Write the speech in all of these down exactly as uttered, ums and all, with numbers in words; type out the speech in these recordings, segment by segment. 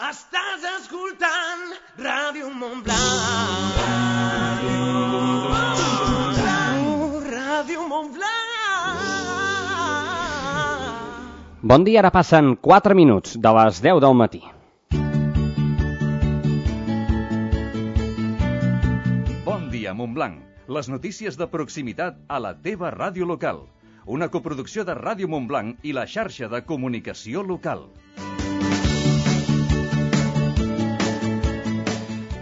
Estàs escoltant Ràdio Montblanc. Ràdio Montblanc. Ràdio Montblanc. Bon dia, ara passen quatre minuts de les deu del matí. Bon dia, Montblanc. Les notícies de proximitat a la teva ràdio local. Una coproducció de Ràdio Montblanc i la xarxa de comunicació local.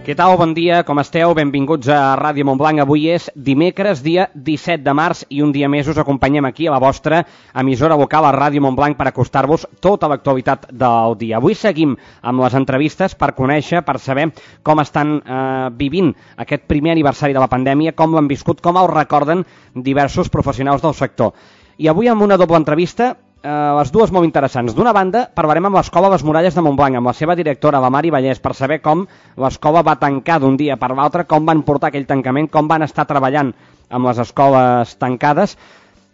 Què tal? Bon dia, com esteu? Benvinguts a Ràdio Montblanc. Avui és dimecres, dia disset de març, i un dia més us acompanyem aquí a la vostra emissora local, a Ràdio Montblanc, per acostar-vos tota l'actualitat del dia. Avui seguim amb les entrevistes per conèixer, per saber com estan eh, vivint aquest primer aniversari de la pandèmia, com l'han viscut, com el recorden diversos professionals del sector. I avui amb una doble entrevista, eh, les dues molt interessants. D'una banda, parlarem amb l'Escola Les Muralles de Montblanc, amb la seva directora, la Mari Vallès, per saber com l'escola va tancar d'un dia per l'altre, com van portar aquell tancament, com van estar treballant amb les escoles tancades.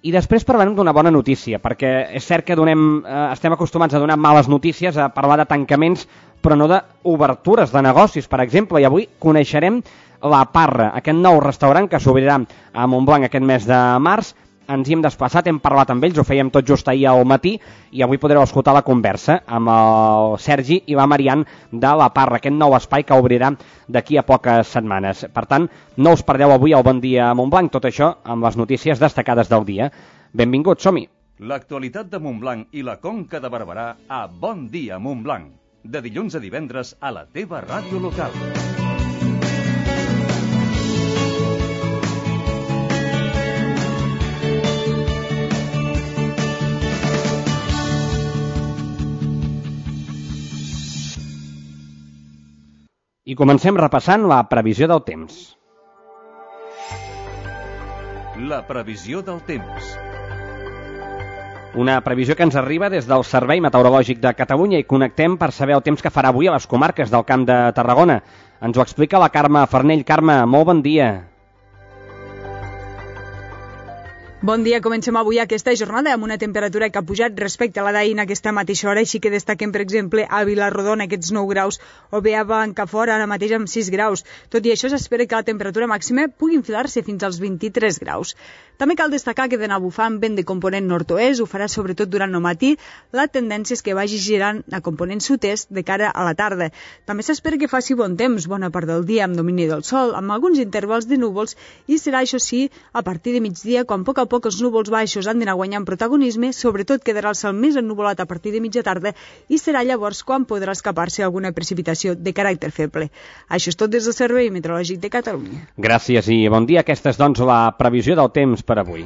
I després parlarem d'una bona notícia, perquè és cert que donem, eh, estem acostumats a donar males notícies, a parlar de tancaments, però no d'obertures de negocis, per exemple. I avui coneixerem La Parra, aquest nou restaurant que s'obrirà a Montblanc aquest mes de març. Ens hi hem desplaçat, hem parlat amb ells, ho fèiem tot just ahir al matí, i avui podreu escoltar la conversa amb el Sergi i la Marian de La Parra, aquest nou espai que obrirà d'aquí a poques setmanes. Per tant, no us perdeu avui el Bon Dia a Montblanc, tot això amb les notícies destacades del dia. Benvinguts, som-hi! L'actualitat de Montblanc i la Conca de Barberà a Bon Dia Montblanc. De dilluns a divendres a la teva ràdio local. I comencem repassant la previsió del temps. La previsió del temps. Una previsió que ens arriba des del Servei Meteorològic de Catalunya, i connectem per saber el temps que farà avui a les comarques del Camp de Tarragona. Ens ho explica la Carme Farnell. Carme, molt bon dia. Bon dia, comencem avui aquesta jornada amb una temperatura que ha pujat respecte a la d'ahir en aquesta mateixa hora, així que destaquem, per exemple, a Vilarrodona aquests nou graus, o bé a Blancafort ara mateix amb sis graus. Tot i això, s'espera que la temperatura màxima pugui enfilar-se fins als vint-i-tres graus. També cal destacar que d'anar bufant vent de component nord-oest, ho farà sobretot durant el matí, la tendència és que vagi girant a component sud-est de cara a la tarda. També s'espera que faci bon temps, bona part del dia amb domini del sol, amb alguns intervals de núvols, i serà, això sí, a partir de migdia, quan a poc a poc els núvols baixos han d'anar guanyant protagonisme, sobretot quedarà el cel més ennuvolat a partir de mitja tarda, i serà llavors quan podrà escapar-se alguna precipitació de caràcter feble. Això és tot des del Servei Meteorològic de Catalunya. Gràcies i bon dia. Aquesta és, doncs, la previsió del temps per avui.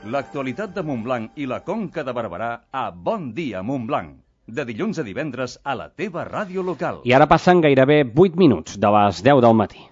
L'actualitat de Montblanc i la Conca de Barberà a Bon Dia Montblanc. De dilluns a divendres a la teva ràdio local. I ara passen gairebé vuit minuts de les deu del matí.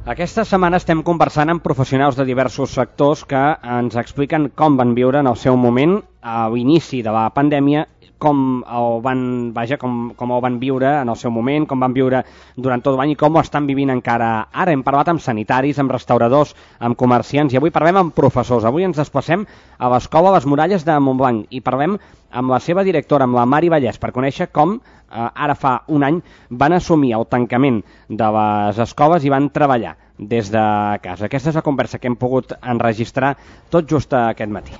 Aquesta setmana estem conversant amb professionals de diversos sectors que ens expliquen com van viure en el seu moment a l'inici de la pandèmia, com el van, vaja, com, com el van viure en el seu moment, com van viure durant tot l'any i com ho estan vivint encara ara. Hem parlat amb sanitaris, amb restauradors, amb comerciants, i avui parlem amb professors. Avui ens desplacem a l'Escola Les Muralles de Montblanc i parlem amb la seva directora, amb la Mari Vallès, per conèixer com eh, ara fa un any van assumir el tancament de les escoles i van treballar des de casa. Aquesta és la conversa que hem pogut enregistrar tot just aquest matí.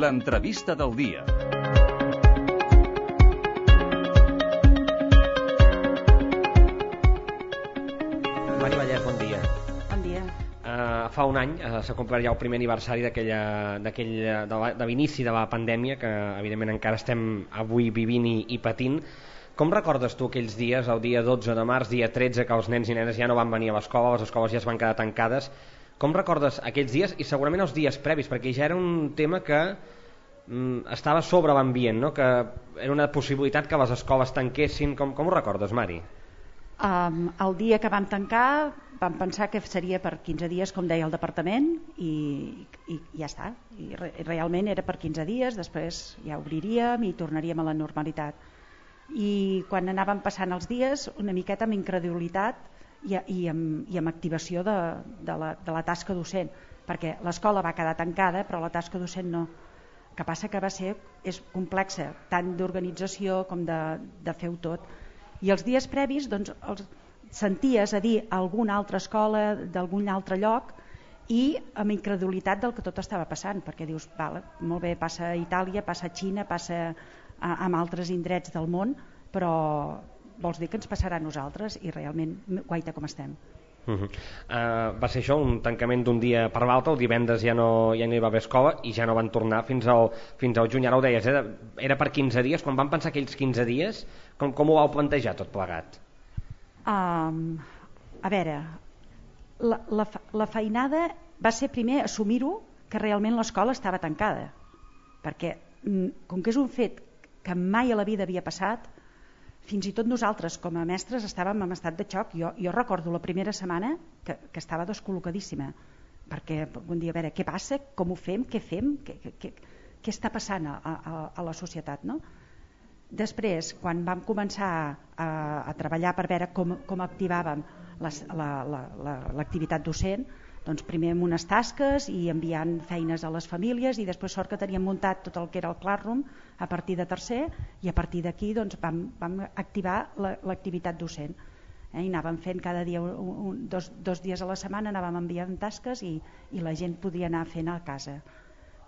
L'entrevista del dia. Mari Vallès, bon dia. Bon dia. Uh, fa un any uh, s'ha complert ja el primer aniversari d'aquella, d'aquella, de, la, de l'inici de la pandèmia, que evidentment encara estem avui vivint i, i patint. Com recordes tu aquells dies, el dia dotze de març, dia tretze, que els nens i nenes ja no van venir a l'escola, les escoles ja es van quedar tancades? Com recordes aquells dies i segurament els dies previs? Perquè ja era un tema que mm, estava sobre l'ambient, no? Que era una possibilitat que les escoles tanquessin. Com, com ho recordes, Mari? Um, el dia que vam tancar vam pensar que seria per quinze dies, com deia el departament, i, i, i ja està. I re, realment era per quinze dies, després ja obriríem i tornaríem a la normalitat. I quan anàvem passant els dies, una miqueta amb incredulitat i, i, amb, i amb activació de, de, la, de la tasca docent, perquè l'escola va quedar tancada però la tasca docent no. El que passa que va ser, és complexa, tant d'organització com de, de fer-ho tot. I els dies previs doncs, els senties a dir a alguna altra escola d'algun altre lloc i amb incredulitat del que tot estava passant, perquè dius, vale, molt bé, passa a Itàlia, passa a Xina, passa a, a altres indrets del món, però vols dir que ens passarà a nosaltres? I realment, guaita com estem. Uh -huh. uh, va ser això, un tancament d'un dia per l'altre, el divendres ja no, ja no hi va haver escola i ja no van tornar fins al, fins al juny. Ara ho deies, era, era per quinze dies. Quan van pensar aquells quinze dies, com, com ho vau plantejar tot plegat? Um, a veure, la, la, la feinada va ser primer assumir-ho que realment l'escola estava tancada, perquè com que és un fet que mai a la vida havia passat, fins i tot nosaltres com a mestres estàvem en estat de xoc. Jo, jo recordo la primera setmana que, que estava descol·locadíssima, perquè un dia, a veure, què passa, com ho fem, què fem, què, què, què està passant a, a, a la societat, no? Després, quan vam començar a, a treballar per veure com, com activàvem les, la, la, la, l'activitat docent, doncs primer amb unes tasques i enviant feines a les famílies, i després sort que teníem muntat tot el que era el Classroom a partir de tercer, i a partir d'aquí doncs, vam, vam activar la, l'activitat docent. Eh? I anàvem fent cada dia, un, un, dos, dos dies a la setmana anàvem enviant tasques i, i la gent podia anar fent a casa.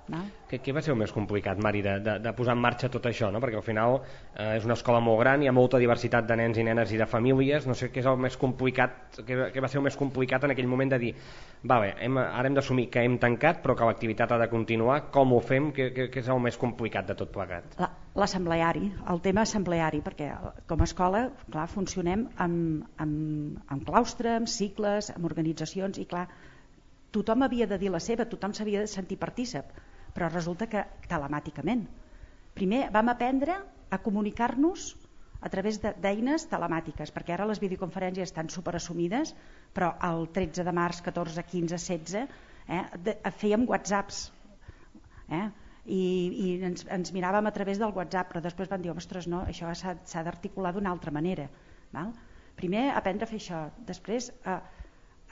Què, què va ser el més complicat, Mari, de, de, de posar en marxa tot això, no? Perquè al final eh, és una escola molt gran, hi ha molta diversitat de nens i nenes i de famílies. No sé què és el més complicat, què, què va ser el més complicat en aquell moment de dir, vale, hem, ara hem d'assumir que hem tancat però que l'activitat ha de continuar, com ho fem, què, què, què és el més complicat de tot plegat? La, l'assembleari, el tema assembleari, perquè com a escola, clar, funcionem amb, amb, amb claustre, amb cicles, amb organitzacions, i clar, tothom havia de dir la seva, tothom s'havia de sentir partícip, però resulta que telemàticament. Primer vam aprendre a comunicar-nos a través de, d'eines telemàtiques, perquè ara les videoconferències estan superassumides, però el tretze de març, catorze, quinze, setze, eh, de, fèiem whatsapps, eh, i, i ens, ens miràvem a través del WhatsApp, però després van dir, ostres, no, això s'ha, s'ha d'articular d'una altra manera. Val? Primer aprendre a fer això, després, eh,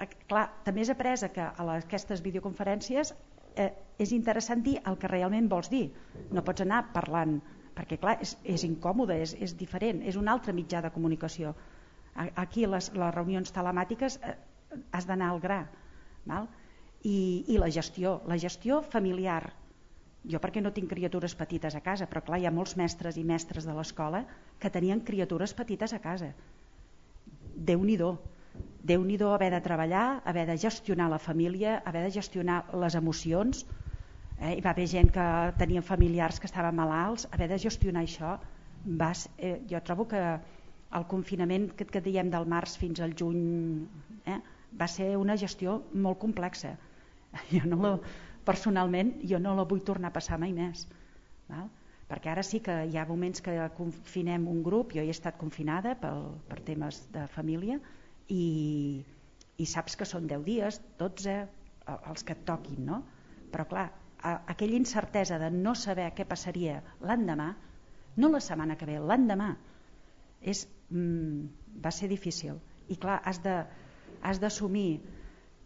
eh, clar, també és après que a les, aquestes videoconferències eh, és interessant dir el que realment vols dir, no pots anar parlant, perquè clar, és, és incòmode, és, és diferent, és un altre mitjà de comunicació. Aquí les, les reunions telemàtiques eh, has d'anar al gra, val? I, i la gestió, la gestió familiar. Jo perquè no tinc criatures petites a casa, però clar, hi ha molts mestres i mestres de l'escola que tenien criatures petites a casa. Déu-n'hi-do. Déu-n'hi-do haver de treballar, haver de gestionar la família, haver de gestionar les emocions. Eh? Hi va haver gent que tenien familiars que estaven malalts, haver de gestionar això. Vas, eh, jo trobo que el confinament que, que diem del març fins al juny eh, va ser una gestió molt complexa. Jo no la, personalment jo no la vull tornar a passar mai més. Val? Perquè ara sí que hi ha moments que confinem un grup, jo hi he estat confinada pel, per temes de família, i, i saps que són deu dies, dotze, els que et toquin, no? Però clar, aquella incertesa de no saber què passaria l'endemà, no la setmana que ve, l'endemà, és, mm, va ser difícil. I clar, has de, has d'assumir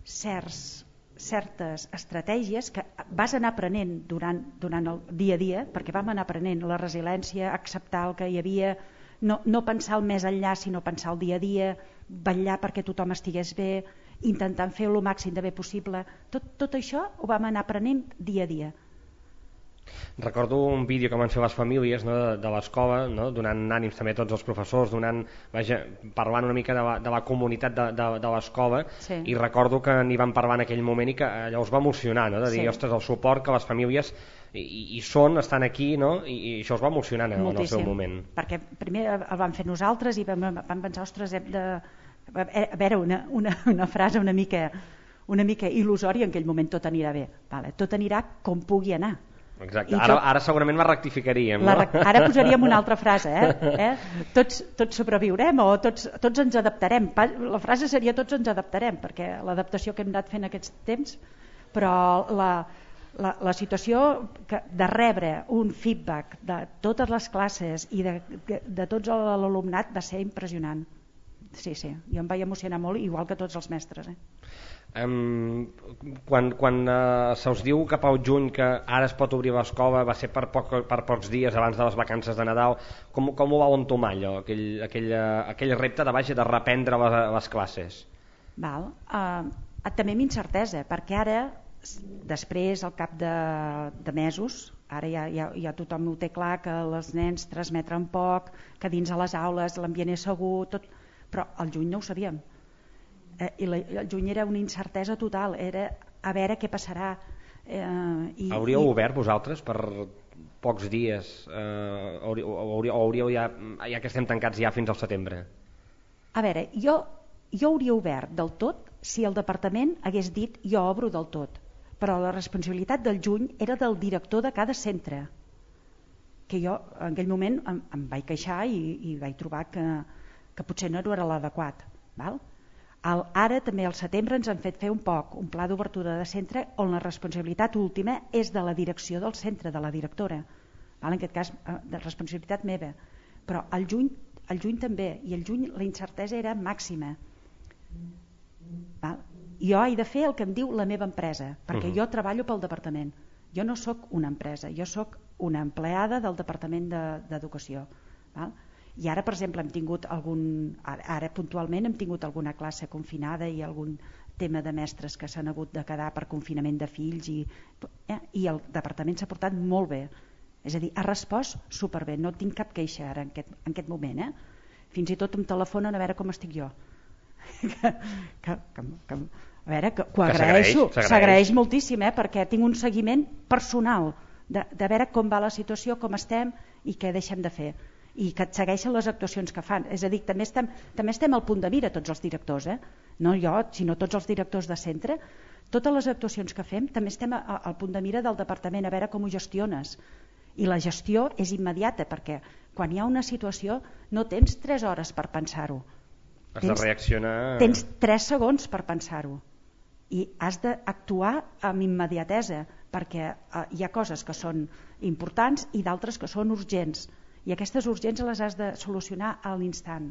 certs, certes estratègies que vas anar aprenent durant, durant el dia a dia, perquè vam anar aprenent la resiliència, acceptar el que hi havia, no, no pensar el més enllà, sinó pensar el dia a dia, vetllar perquè tothom estigués bé, intentant fer el màxim de bé possible. Tot, tot això ho vam anar aprenent dia a dia. Recordo un vídeo que van fer les famílies, no, de, de l'escola, no, donant ànims també a tots els professors, donant, vaja, parlant una mica de la, de la comunitat de, de, de l'escola, sí. I recordo que n'hi van parlar en aquell moment i que allò us va emocionar, no, de dir, sí. Ostres, el suport que les famílies i, i són, estan aquí, no, i, i això us va emocionar en, en el seu moment. Perquè primer el vam fer nosaltres i vam, vam pensar, ostres, hem de... A veure, una, una, una frase una mica, una mica il·lusòria, en aquell moment tot anirà bé. Vale, tot anirà com pugui anar. Exacte, ara, ara segurament la rectificaríem, no? La, ara posaríem una altra frase, eh? eh? Tots, tots sobreviurem o tots, tots ens adaptarem. La frase seria tots ens adaptarem, perquè l'adaptació que hem anat fent aquests temps, però la, la, la situació que, de rebre un feedback de totes les classes i de, de, de tots l'alumnat va ser impressionant. Sí, sí, jo em vaig emocionar molt, igual que tots els mestres, eh? Um, quan quan uh, se us diu cap al juny que ara es pot obrir l'escola, va ser per, poc, per pocs dies abans de les vacances de Nadal, com, com ho vau entomar allò, aquell, aquell, uh, aquell repte de, vaja, de reprendre les, les classes? Val. Uh, també amb incertesa, perquè ara, després, al cap de, de mesos, ara ja, ja, ja tothom ho té clar, que els nens transmetren poc, que dins a les aules l'ambient és segur, tot, però al juny no ho sabíem. Eh, i la, el juny era una incertesa total, era a veure què passarà. Eh, i, hauríeu i... obert vosaltres per pocs dies, eh, hauríeu, hauríeu, hauríeu ja, ja que estem tancats ja fins al setembre? A veure, jo, jo hauria obert del tot si el departament hagués dit jo obro del tot, però la responsabilitat del juny era del director de cada centre, que jo en aquell moment em, em vaig queixar i, i vaig trobar que, que potser no era l'adequat, val? El, ara també al setembre ens han fet fer un poc un pla d'obertura de centre on la responsabilitat última és de la direcció del centre, de la directora, val? En aquest cas de responsabilitat meva, però al juny, al juny també, i al juny la incertesa era màxima, val? Jo he de fer el que em diu la meva empresa, perquè uh-huh. jo treballo pel departament, jo no sóc una empresa, jo sóc una empleada del departament de, d'educació, val? I ara, per exemple, hem tingut algun, ara, ara puntualment hem tingut alguna classe confinada i algun tema de mestres que s'han hagut de quedar per confinament de fills i, eh, i el departament s'ha portat molt bé, és a dir, ha respost superbé, no tinc cap queixa ara en aquest, en aquest moment, eh? Fins i tot em telefonen a veure com estic jo. que, que, que, que, a veure, que, que ho agraeixo, s'agraeix moltíssim, eh? Perquè tinc un seguiment personal de, de veure com va la situació, com estem i què deixem de fer, i que et segueixen les actuacions que fan. És a dir, també estem, també estem al punt de mira tots els directors, eh? No jo, sinó tots els directors de centre. Totes les actuacions que fem també estem a, a, al punt de mira del departament, a veure com ho gestiones. I la gestió és immediata, perquè quan hi ha una situació no tens tres hores per pensar-ho. Has tens, de reaccionar... Tens tres segons per pensar-ho. I has d'actuar amb immediatesa, perquè eh, hi ha coses que són importants i d'altres que són urgents. I aquestes urgències les has de solucionar a l'instant.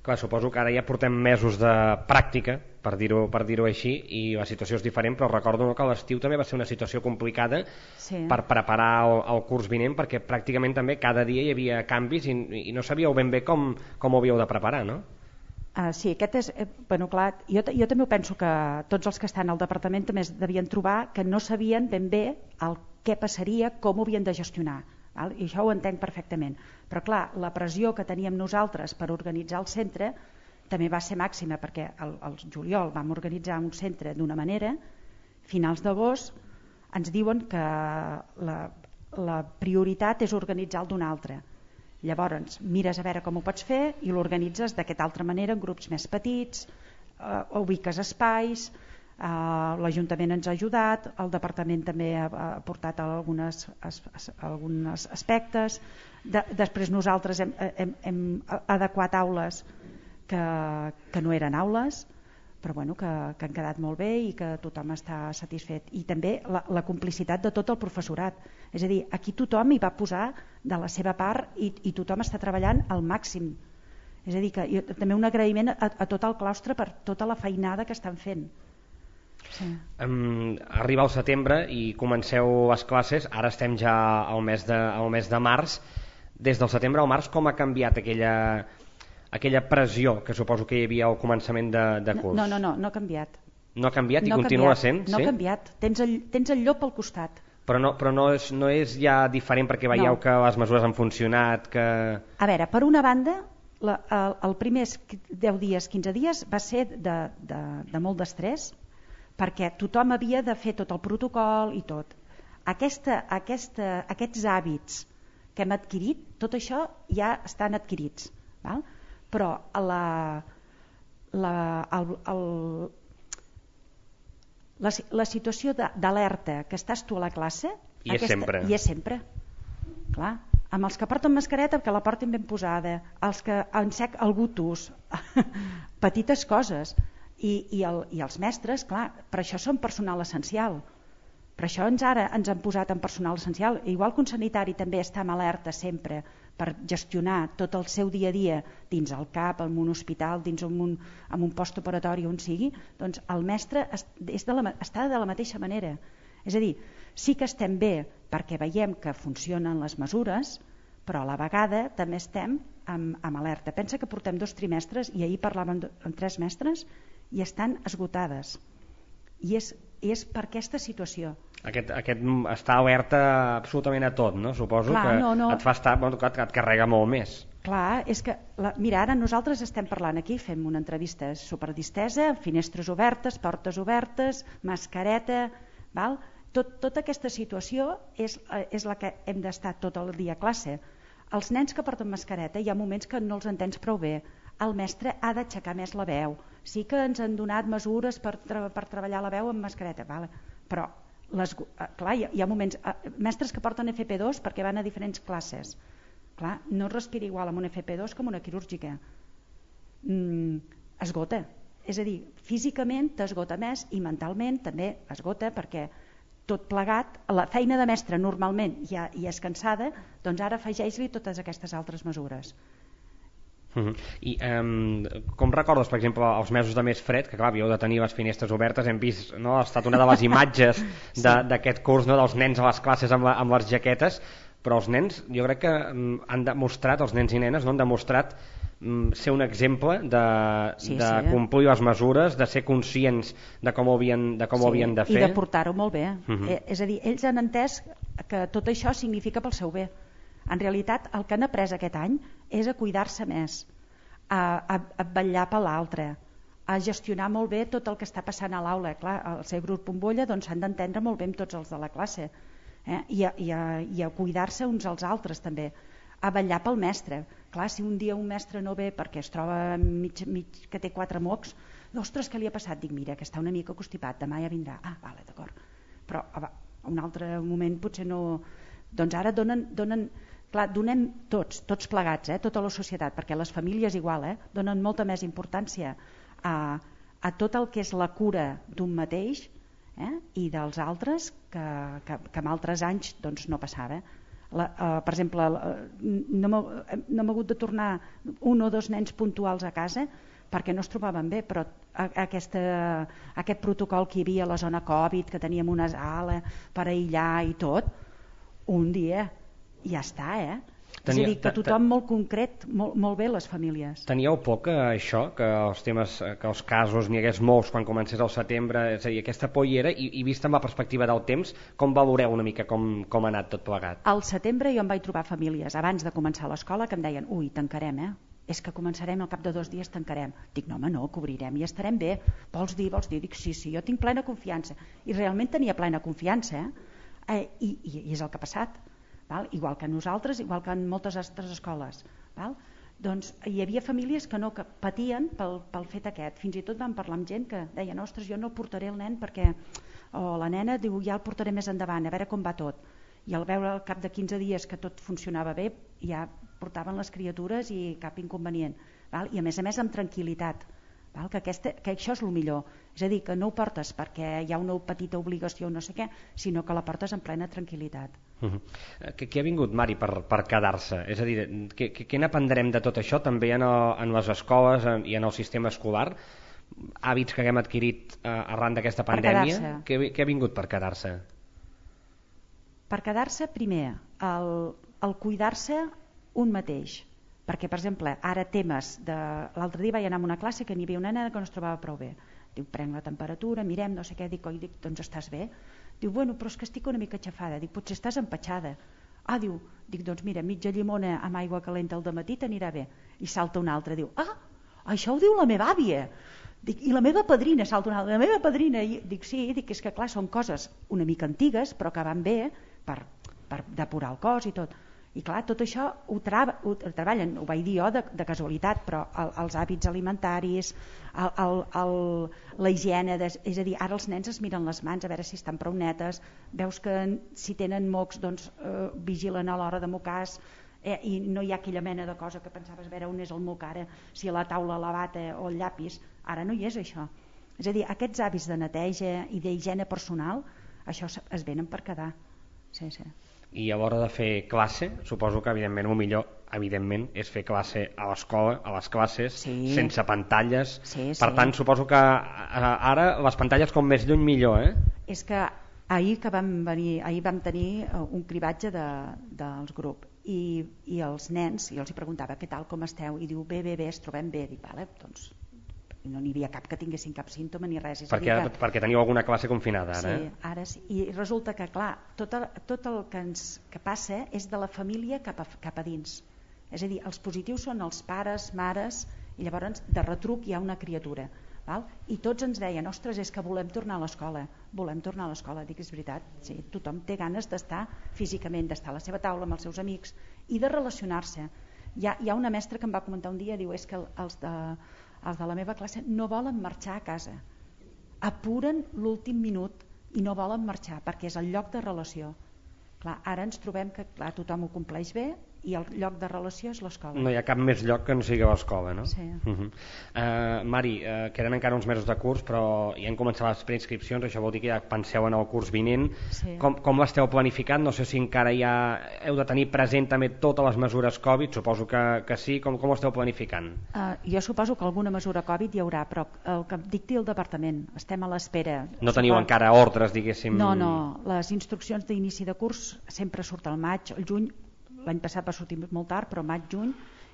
Clar, suposo que ara ja portem mesos de pràctica, per dir-ho per dir-ho així, i la situació és diferent, però recordo que l'estiu també va ser una situació complicada sí. per preparar el, el curs vinent, perquè pràcticament també cada dia hi havia canvis i, i no sabíeu ben bé com, com ho havíeu de preparar, no? Uh, sí, aquest és... Eh, bueno, clar, jo, jo també penso que tots els que estan al departament també es devien trobar que no sabien ben bé el què passaria, com ho havien de gestionar. Val? I això ho entenc perfectament, però clar, la pressió que teníem nosaltres per organitzar el centre també va ser màxima, perquè el, el juliol vam organitzar un centre d'una manera, finals d'agost ens diuen que la, la prioritat és organitzar-lo d'una altra, llavors mires a veure com ho pots fer i l'organitzes d'aquesta altra manera en grups més petits, eh, ubiques espais. Uh, l'Ajuntament ens ha ajudat, el Departament també ha, ha portat algunes, as, as, alguns aspectes. De, després nosaltres hem, hem, hem adequat aules que, que no eren aules, però bueno, que, que han quedat molt bé i que tothom està satisfet. I també la, la complicitat de tot el professorat. És a dir, aquí tothom hi va posar de la seva part i, i tothom està treballant al màxim. És a dir, que jo, també un agraïment a, a tot el claustre per tota la feinada que estan fent. Sí. Um, arriba el setembre i comenceu les classes, ara estem ja al mes de, al mes de març. Des del setembre al març, com ha canviat aquella, aquella pressió que suposo que hi havia al començament de, de curs? No, no, no, no ha canviat. No ha canviat i no continua canviat, sent? No sí? ha canviat, tens el, tens el llop al costat. Però no, però no, és, no és ja diferent perquè veieu no. que les mesures han funcionat? Que... A veure, per una banda, la, el, el primers deu dies, quinze dies va ser de, de, de molt d'estrès, perquè tothom havia de fer tot el protocol i tot. Aquesta, aquesta, aquests hàbits que hem adquirit, tot això ja estan adquirits, val? Però la, la, el, el, la, la situació d'alerta que estàs tu a la classe I és sempre. I és sempre. Clar, amb els que porten mascareta que la portin ben posada, els que en sec el gutus, petites coses, i, i, el, i els mestres, clar, per això són personal essencial, per això ens ara ens han posat en personal essencial, igual que un sanitari també està en alerta sempre per gestionar tot el seu dia a dia dins el CAP, en un hospital, dins un, en un postoperatori on sigui, doncs el mestre és de la, està de la mateixa manera. És a dir, sí que estem bé perquè veiem que funcionen les mesures, però a la vegada també estem amb, amb alerta. Pensa que portem dos trimestres i ahir parlàvem amb tres mestres i estan esgotades. I és, és per aquesta situació. Aquest, aquest està alerta absolutament a tot, no? Suposo. Clar, que no, no. Et fa estar, bueno, et, et carrega molt més. Clar, és que, la, mira, ara nosaltres estem parlant aquí, fem una entrevista superdistesa, finestres obertes, portes obertes, mascareta, val? Tot, tota aquesta situació és, és la que hem d'estar tot el dia a classe. Els nens que porten mascareta hi ha moments que no els entens prou bé. El mestre ha d'aixecar més la veu. Sí que ens han donat mesures per, tra per treballar la veu amb mascareta, vale. Però les, clar, hi ha, hi ha moments... Mestres que porten F P dos perquè van a diferents classes. Clar, no es respira igual amb un F P dos com una quirúrgica. Mm, esgota. És a dir, físicament t'esgota més i mentalment també esgota perquè tot plegat, la feina de mestre normalment ja, ja és cansada, doncs ara afegeix-li totes aquestes altres mesures. Uh-huh. I um, com recordes, per exemple, els mesos de més fred, que clar, havíeu de tenir les finestres obertes, hem vist, no?, ha estat una de les imatges d'aquest sí. curs, no?, dels nens a les classes amb, la, amb les jaquetes, però els nens, jo crec que um, han demostrat, els nens i nenes, no han demostrat ser un exemple de, sí, de sí, complir les mesures, de ser conscients de com ho havien de, com sí, ho havien de fer. I de portar-ho molt bé. Uh-huh. eh, és a dir, ells han entès que tot això significa pel seu bé. En realitat, el que han après aquest any és a cuidar-se més, a, a, a vetllar per l'altre, a gestionar molt bé tot el que està passant a l'aula. Clar, al ser grup bombolla doncs s'han d'entendre molt bé amb tots els de la classe, eh? I, a, i, a, i a cuidar-se uns als altres també, a vetllar pel mestre. Clar, si un dia un mestre no ve perquè es troba mig, mig que té quatre mocs, ostres, què li ha passat? Dic, mira, que està una mica constipat, demà ja vindrà. Ah, vale, d'acord. Però a un altre moment potser no... Doncs ara donen... donen clar, donem tots, tots plegats, eh, tota la societat, perquè les famílies igual, eh, donen molta més importància a, a tot el que és la cura d'un mateix, eh, i dels altres que, que, que en altres anys doncs, no passava. La, uh, per exemple, uh, no m'ha hagut de tornar un o dos nens puntuals a casa perquè no es trobaven bé, però a, a aquesta, a aquest protocol que hi havia a la zona Covid, que teníem una sala per aïllar i tot, un dia ja està, eh? Tenia, és a dir, que tothom molt concret, molt, molt bé les famílies. Teníeu por que això, que els temes, que els casos n'hi hagués molts quan comencés el setembre, és a dir, aquesta por hi era, i, i vista amb la perspectiva del temps, com valoreu una mica com, com ha anat tot plegat? Al setembre jo em vaig trobar famílies, abans de començar l'escola, que em deien, ui, tancarem, eh? És que començarem, al cap de dos dies tancarem. Dic, no home, no, cobrirem i estarem bé. Vols dir, vols dir? Dic, sí, sí, jo tinc plena confiança. I realment tenia plena confiança, eh? eh i, i, I és el que ha passat. Val? Igual que nosaltres, igual que en moltes altres escoles. Val? Doncs hi havia famílies que no, que patien pel, pel fet aquest. Fins i tot vam parlar amb gent que deien, ostres, jo no portaré el nen perquè, o la nena diu, ja el portaré més endavant, a veure com va tot. I al veure al cap de quinze dies que tot funcionava bé, ja portaven les criatures i cap inconvenient. Val? I a més a més amb tranquil·litat. Val? Que, aquesta, que això és el millor. És a dir, que no ho portes perquè hi ha una petita obligació o no sé què, sinó que la portes en plena tranquil·litat. Uh-huh. Què, què ha vingut, Mari, per, per quedar-se? És a dir, què, què n'aprendrem de tot això també en, el, en les escoles en, i en el sistema escolar? Hàbits que haguem adquirit eh, arran d'aquesta pandèmia? Què, què ha vingut per quedar-se? Per quedar-se, primer, el, el cuidar-se un mateix. Perquè, per exemple, ara temes de... L'altre dia vaig anar a una classe que n'hi havia una nena que no es trobava prou bé. Diu, prenc la temperatura, mirem, no sé què, dic, oi, dic, doncs estàs bé? Diu, bueno, però és que estic una mica aixafada. Dic, potser estàs empatxada. Ah, diu, dic, doncs mira, mitja llimona amb aigua calenta al dematí t'anirà bé. I salta una altra, diu, ah, això ho diu la meva àvia. Dic, i la meva padrina, salta una altra, la meva padrina. I dic, sí, dic, és que clar, són coses una mica antigues, però que van bé per, per depurar el cos i tot. I clar, tot això ho, tra ho treballen, ho vaig dir jo de, de casualitat, però el, els hàbits alimentaris, el, el, el, la higiene, de, és a dir, ara els nens es miren les mans a veure si estan prou netes, veus que si tenen mocs doncs eh, vigilen a l'hora de mocar, eh, i no hi ha aquella mena de cosa que pensaves veure on és el moc ara, si a la taula la bata o el llapis, ara no hi és això. És a dir, aquests hàbits de neteja i d'higiene personal, això es venen per quedar. Sí, sí. I a l'hora de fer classe, suposo que evidentment el millor evidentment és fer classe a l'escola, a les classes, sí. sense pantalles. Sí, sí. Per tant, suposo que ara les pantalles com més lluny millor, eh? És que ahir que vam venir, ahir vam tenir un cribatge de, dels grups i, i els nens, i els hi preguntava què tal, com esteu? I diu bé, bé, bé, es trobem bé. Dic, vale, doncs no n'hi havia cap que tinguessin cap símptoma ni res. És perquè, que... perquè teniu alguna classe confinada ara, sí, eh? Ara sí, i resulta que clar, tot el, tot el que ens que passa és de la família cap a, cap a dins. És a dir, els positius són els pares, mares, i llavors de retruc hi ha una criatura, val? I tots ens deien, ostres, és que volem tornar a l'escola, volem tornar a l'escola. Dic, és veritat, sí, tothom té ganes d'estar físicament, d'estar a la seva taula amb els seus amics i de relacionar-se. Hi ha, hi ha una mestra que em va comentar un dia, diu, és que els de els de la meva classe no volen marxar a casa, apuren l'últim minut i no volen marxar perquè és el lloc de relació. Clar, ara ens trobem que clar, tothom ho compleix bé i el lloc de relació és l'escola. No hi ha cap més lloc que no sigui l'escola, no? Sí. Uh -huh. uh, Mari, uh, queden encara uns mesos de curs, però ja han començat les preinscripcions, això vol dir que ja penseu en el curs vinent. Sí. Com, com l'esteu planificant? No sé si encara ja heu de tenir present també totes les mesures Covid, suposo que, que sí. Com, com ho esteu planificant? Uh, jo suposo que alguna mesura Covid hi haurà, però el que dicti el departament, estem a l'espera. No teniu Supos... encara ordres, diguéssim? No, no, les instruccions d'inici de curs sempre surten al maig, al juny. L'any passat va sortir molt tard, però maig, juny,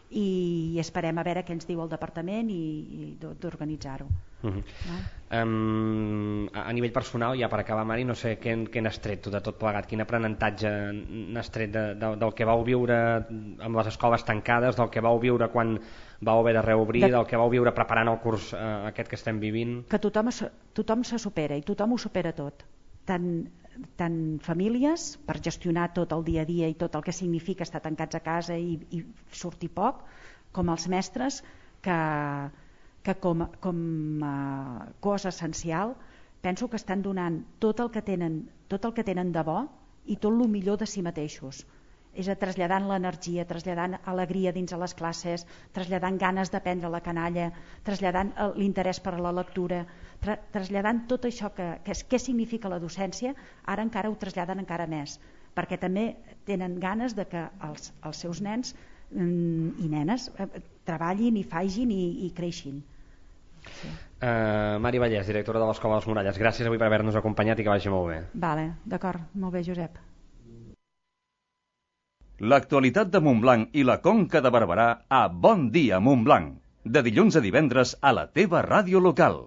i esperem a veure què ens diu el departament i, i d'organitzar-ho. Uh -huh. no? um, a, a nivell personal, ja per acabar, Mari, no sé què, què n'has tret tu de tot plegat, quin aprenentatge n'has tret de, de, del que vau viure amb les escoles tancades, del que vau viure quan vau haver de reobrir, de... del que vau viure preparant el curs eh, aquest que estem vivint? Que tothom, tothom se supera i tothom ho supera tot, tant tant famílies per gestionar tot el dia a dia i tot el que significa estar tancats a casa i, i sortir poc, com els mestres que, que com, com a cosa essencial penso que estan donant tot el que tenen, tot el que tenen de bo i tot el millor de si mateixos. És a traslladant l'energia, traslladant alegria dins a les classes, traslladant ganes d'aprendre la canalla, traslladant l'interès per a la lectura, tra traslladant tot això que, que, que significa la docència, ara encara ho traslladen encara més, perquè també tenen ganes de que els, els seus nens mm, i nenes eh, treballin i fagin i, i creixin. Sí. Uh, Mari Vallès, directora de l'Escola de les Muralles, gràcies avui per haver-nos acompanyat i que vagi molt bé. Vale, d'acord, molt bé, Josep. L'actualitat de Montblanc i la Conca de Barberà a Bon Dia Montblanc, de dilluns a divendres a la teva ràdio local.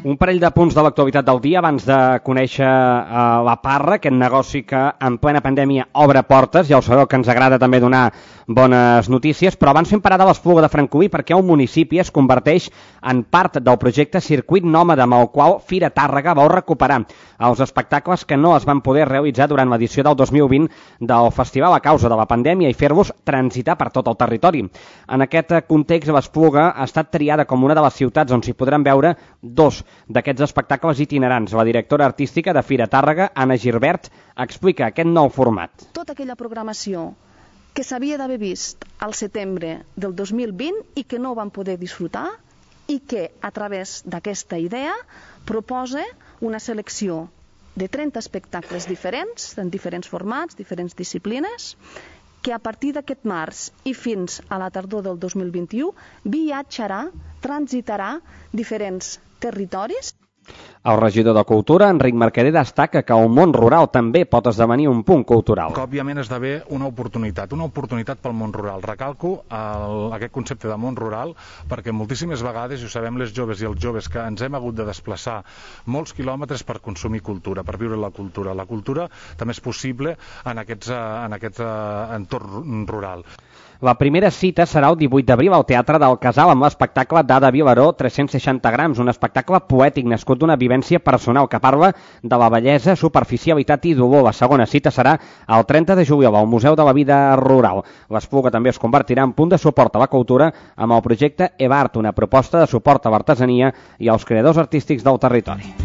Un parell de punts de l'actualitat del dia abans de conèixer uh, la Parra, aquest negoci que en plena pandèmia obre portes. Ja ho sabeu que ens agrada també donar bones notícies, però abans fem parada a l'Espluga de Francolí perquè el municipi es converteix en part del projecte Circuit Nòmada, amb el qual Fira Tàrrega vol recuperar els espectacles que no es van poder realitzar durant l'edició del dos mil vint del festival a causa de la pandèmia i fer-los transitar per tot el territori. En aquest context, l'Espluga ha estat triada com una de les ciutats on s'hi podran veure dos d'aquests espectacles itinerants. La directora artística de Fira Tàrrega, Anna Girbert, explica aquest nou format. Tota aquella programació que s'havia d'haver vist al setembre del dos mil vint i que no van poder disfrutar i que a través d'aquesta idea proposa una selecció de trenta espectacles diferents, en diferents formats, diferents disciplines, que a partir d'aquest març i fins a la tardor del dos mil vint-i-u viatjarà, transitarà diferents territoris. El regidor de Cultura, Enric Mercader, destaca que el món rural també pot esdevenir un punt cultural. Que, òbviament, esdevé una oportunitat, una oportunitat pel món rural. Recalco el, aquest concepte de món rural perquè moltíssimes vegades, i ho sabem les joves i els joves, que ens hem hagut de desplaçar molts quilòmetres per consumir cultura, per viure la cultura. La cultura també és possible en aquest, en aquest entorn rural. La primera cita serà el divuit d'abril al Teatre del Casal amb l'espectacle d'Ada Vilaró, tres-cents seixanta grams, un espectacle poètic nascut d'una vivència personal que parla de la bellesa, superficialitat i dolor. La segona cita serà el trenta de juliol al Museu de la Vida Rural. L'Espluga també es convertirà en punt de suport a la cultura amb el projecte EVART, una proposta de suport a l'artesania i als creadors artístics del territori.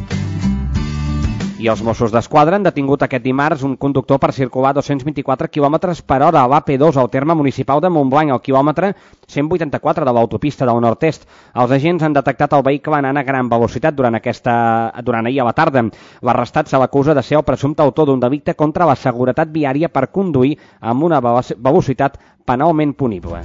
I els Mossos d'Esquadra han detingut aquest dimarts un conductor per circular dos-cents vint-i-quatre quilòmetres per hora a l'A P dos al terme municipal de Montblanc, al quilòmetre cent vuitanta-quatre de l'autopista del nord-est. Els agents han detectat el vehicle anant a gran velocitat durant, aquesta, durant ahir a la tarda. L'arrestat se l'acusa de ser el presumpte autor d'un delicte contra la seguretat viària per conduir amb una velocitat penalment punible.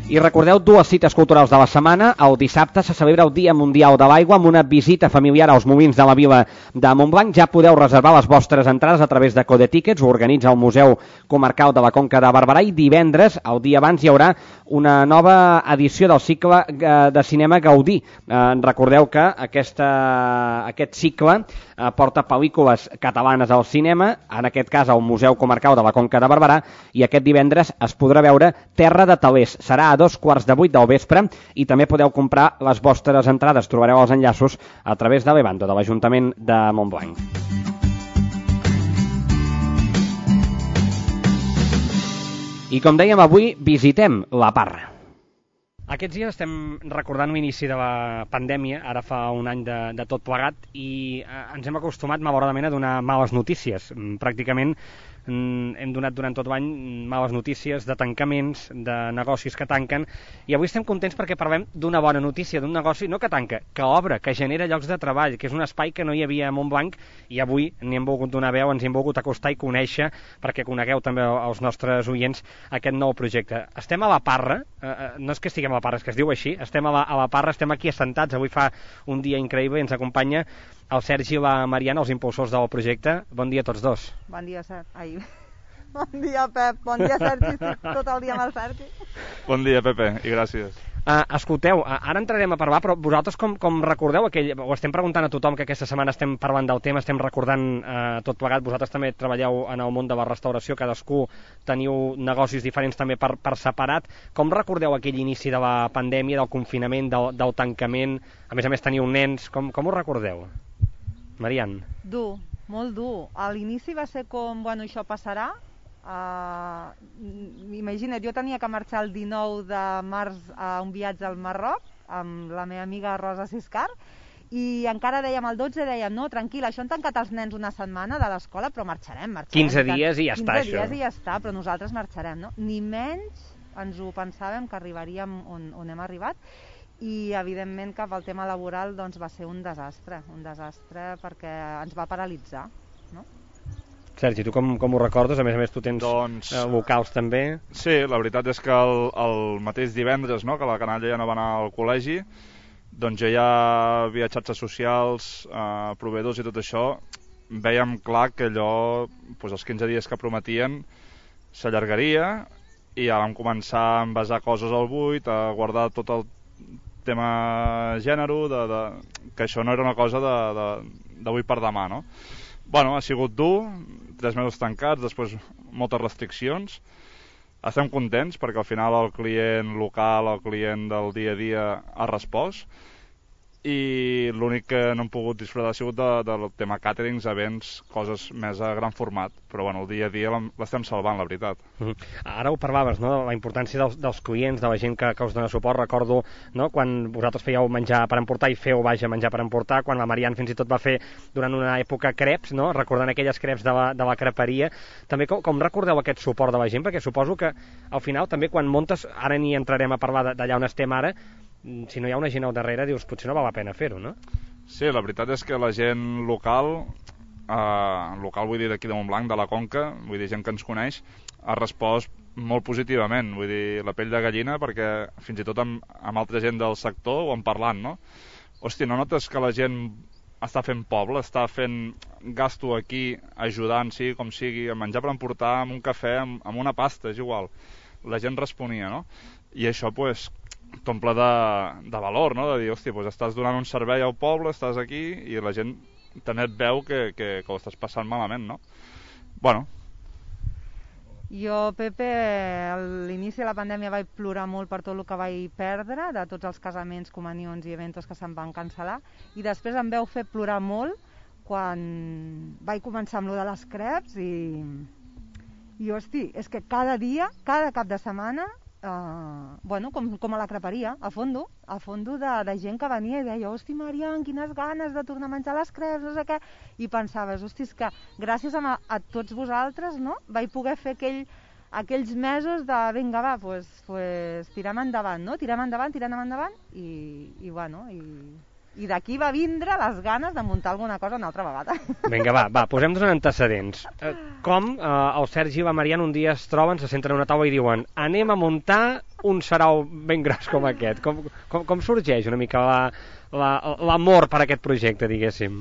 I recordeu dues cites culturals de la setmana. El dissabte se celebra el Dia Mundial de l'Aigua amb una visita familiar als molins de la vila de Montblanc. Ja podeu reservar les vostres entrades a través de Code Tickets, ho organitza el Museu Comarcal de la Conca de Barberà, i divendres, el dia abans, hi haurà una nova edició del cicle de cinema Gaudí. Eh, recordeu que aquesta, aquest cicle eh, porta pel·lícules catalanes al cinema, en aquest cas al Museu Comarcal de la Conca de Barberà, i aquest divendres es podrà veure Terra de Talers. Serà a dos quarts de vuit del vespre i també podeu comprar les vostres entrades. Trobareu els enllaços a través de l'Evando, de l'Ajuntament de Montblanc. I com dèiem, avui visitem la Parra. Aquests dies estem recordant l'inici de la pandèmia, ara fa un any de, de tot plegat, i eh, ens hem acostumat malauradament a donar males notícies. Pràcticament hem donat durant tot l'any males notícies de tancaments, de negocis que tanquen, i avui estem contents perquè parlem d'una bona notícia, d'un negoci no que tanca, que obre, que genera llocs de treball, que és un espai que no hi havia a Montblanc, i avui n'hi hem volgut donar veu, ens hi hem volgut acostar i conèixer, perquè conegueu també els nostres oients aquest nou projecte. Estem a la Parra, eh, no és que estiguem a la Parra, és que es diu així, estem a la, a la Parra, estem aquí assentats, avui fa un dia increïble i ens acompanya el Sergi i la Mariana, els impulsors del projecte. Bon dia a tots dos. Bon dia, Sergi. Ai. Bon dia, Pep. Bon dia, Sergi. Tot el dia amb el Sergi. Bon dia, Pepe, i gràcies. Uh, escolteu, uh, ara entrarem a parlar, però vosaltres com, com recordeu aquell... Ho estem preguntant a tothom, que aquesta setmana estem parlant del tema, estem recordant uh, tot plegat. Vosaltres també treballeu en el món de la restauració, cadascú teniu negocis diferents també per, per separat. Com recordeu aquell inici de la pandèmia, del confinament, del, del tancament? A més a més teniu nens, com, com ho recordeu? Marian. Dur, molt dur. A l'inici va ser com, bueno, això passarà. Uh, imagina't, jo tenia que marxar el dinou de març a un viatge al Marroc amb la meva amiga Rosa Siscar, i encara dèiem el dotze, dèiem, no, tranquil, això han tancat els nens una setmana de l'escola, però marxarem, marxarem. quinze dies i ja està, això. això. quinze dies i ja està, però nosaltres marxarem, no? Ni menys ens ho pensàvem que arribaríem on, on hem arribat. I evidentment que pel tema laboral doncs, va ser un desastre, un desastre perquè ens va paralitzar, no? Sergi, tu com, com ho recordes? A més a més tu tens doncs, eh, locals també. Sí, la veritat és que el, el mateix divendres, no?, que la canalla ja no va anar al col·legi, doncs jo ja via xarxes socials, eh, proveïdors i tot això, vèiem clar que allò, doncs els quinze dies que prometien s'allargaria, i ja vam començar a envasar coses al buit, a guardar tot el tema gènere, de, de, que això no era una cosa d'avui per demà, no? Bueno, ha sigut dur, tres mesos tancats, després moltes restriccions. Estem contents perquè al final el client local, el client del dia a dia ha respost, i l'únic que no hem pogut disfrutar ha sigut de, del tema càterings, events, coses més a gran format, però bueno, el dia a dia l'estem salvant, la veritat. Mm-hmm. Ara ho parlaves, no?, la importància dels, dels clients, de la gent que, que us dona suport. Recordo, no?, quan vosaltres fèieu menjar per emportar i feu, vaja, menjar per emportar, quan la Marian fins i tot va fer durant una època creps, no?, recordant aquelles creps de la, de la creperia. També com, com recordeu aquest suport de la gent? Perquè suposo que al final també quan muntes, ara n'hi entrarem a parlar d'allà on estem ara, si no hi ha una gent al darrere, dius, potser no val la pena fer-ho, no? Sí, la veritat és que la gent local, eh, local vull dir d'aquí de Montblanc, de la Conca, vull dir gent que ens coneix, ha respost molt positivament, vull dir, la pell de gallina, perquè fins i tot amb, amb altra gent del sector ho han parlat, no? Hòstia, no notes que la gent està fent poble, està fent gasto aquí, ajudant, sigui com sigui, a menjar per emportar, amb un cafè, amb, amb una pasta, és igual. La gent responia, no? I això, pues, t'omple de, de valor, no? De dir, hòstia, pues, estàs donant un servei al poble, estàs aquí, i la gent també et veu que, que, que ho estàs passant malament, no? Bueno. Jo, Pepe, a l'inici de la pandèmia vaig plorar molt per tot el que vaig perdre, de tots els casaments, comunions i eventos que se'm van cancel·lar, i després em veu fer plorar molt quan vaig començar amb lo de les creps i, i hosti, és que cada dia, cada cap de setmana, Uh, bueno, com, com a la creperia, a fondo, a fondo de, de gent que venia i deia, hosti, Marian, quines ganes de tornar a menjar les creps, no sé què, i pensaves, hosti, és que gràcies a, a tots vosaltres, no?, vaig poder fer aquell, aquells mesos de, vinga, va, pues, pues, tirem endavant, no?, tirem endavant, tirem endavant, i, i bueno, i... I d'aquí va vindre les ganes de muntar alguna cosa una altra vegada. Vinga, va, va posem-nos en antecedents. Eh, com eh, el Sergi i la Marian un dia es troben, se senten a una taula i diuen anem a muntar un sarau ben gros com aquest. Com, com, com sorgeix una mica l'amor la, per aquest projecte, diguéssim?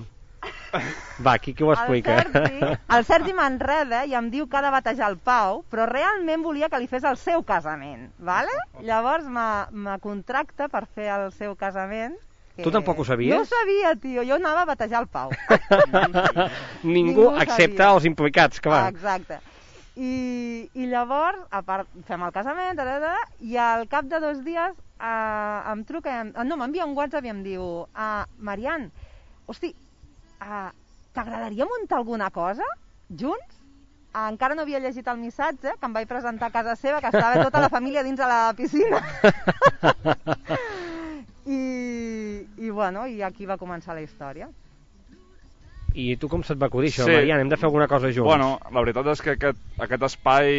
Va, qui, qui ho explica? El Sergi, el Sergi m'enreda i em diu que ha de batejar el Pau, però realment volia que li fes el seu casament, ¿vale? Llavors me contracta per fer el seu casament. Que... Tu tampoc ho sabies? No ho sabia, tio. Jo anava a batejar el Pau. Ningú, Ningú excepte els implicats, que va. Exacte. I, i llavors, a part, fem el casament, da, da, da, i al cap de dos dies eh, em truca, em, no, m'envia un WhatsApp i em diu ah, Marian, hosti, ah, t'agradaria muntar alguna cosa junts? Ah, encara no havia llegit el missatge, que em vaig presentar a casa seva, que estava tota la família dins de la piscina. I, i bueno, i aquí va començar la història. I tu com se't va acudir això, sí. Marian? Hem de fer alguna cosa junts. Bueno, la veritat és que aquest, aquest espai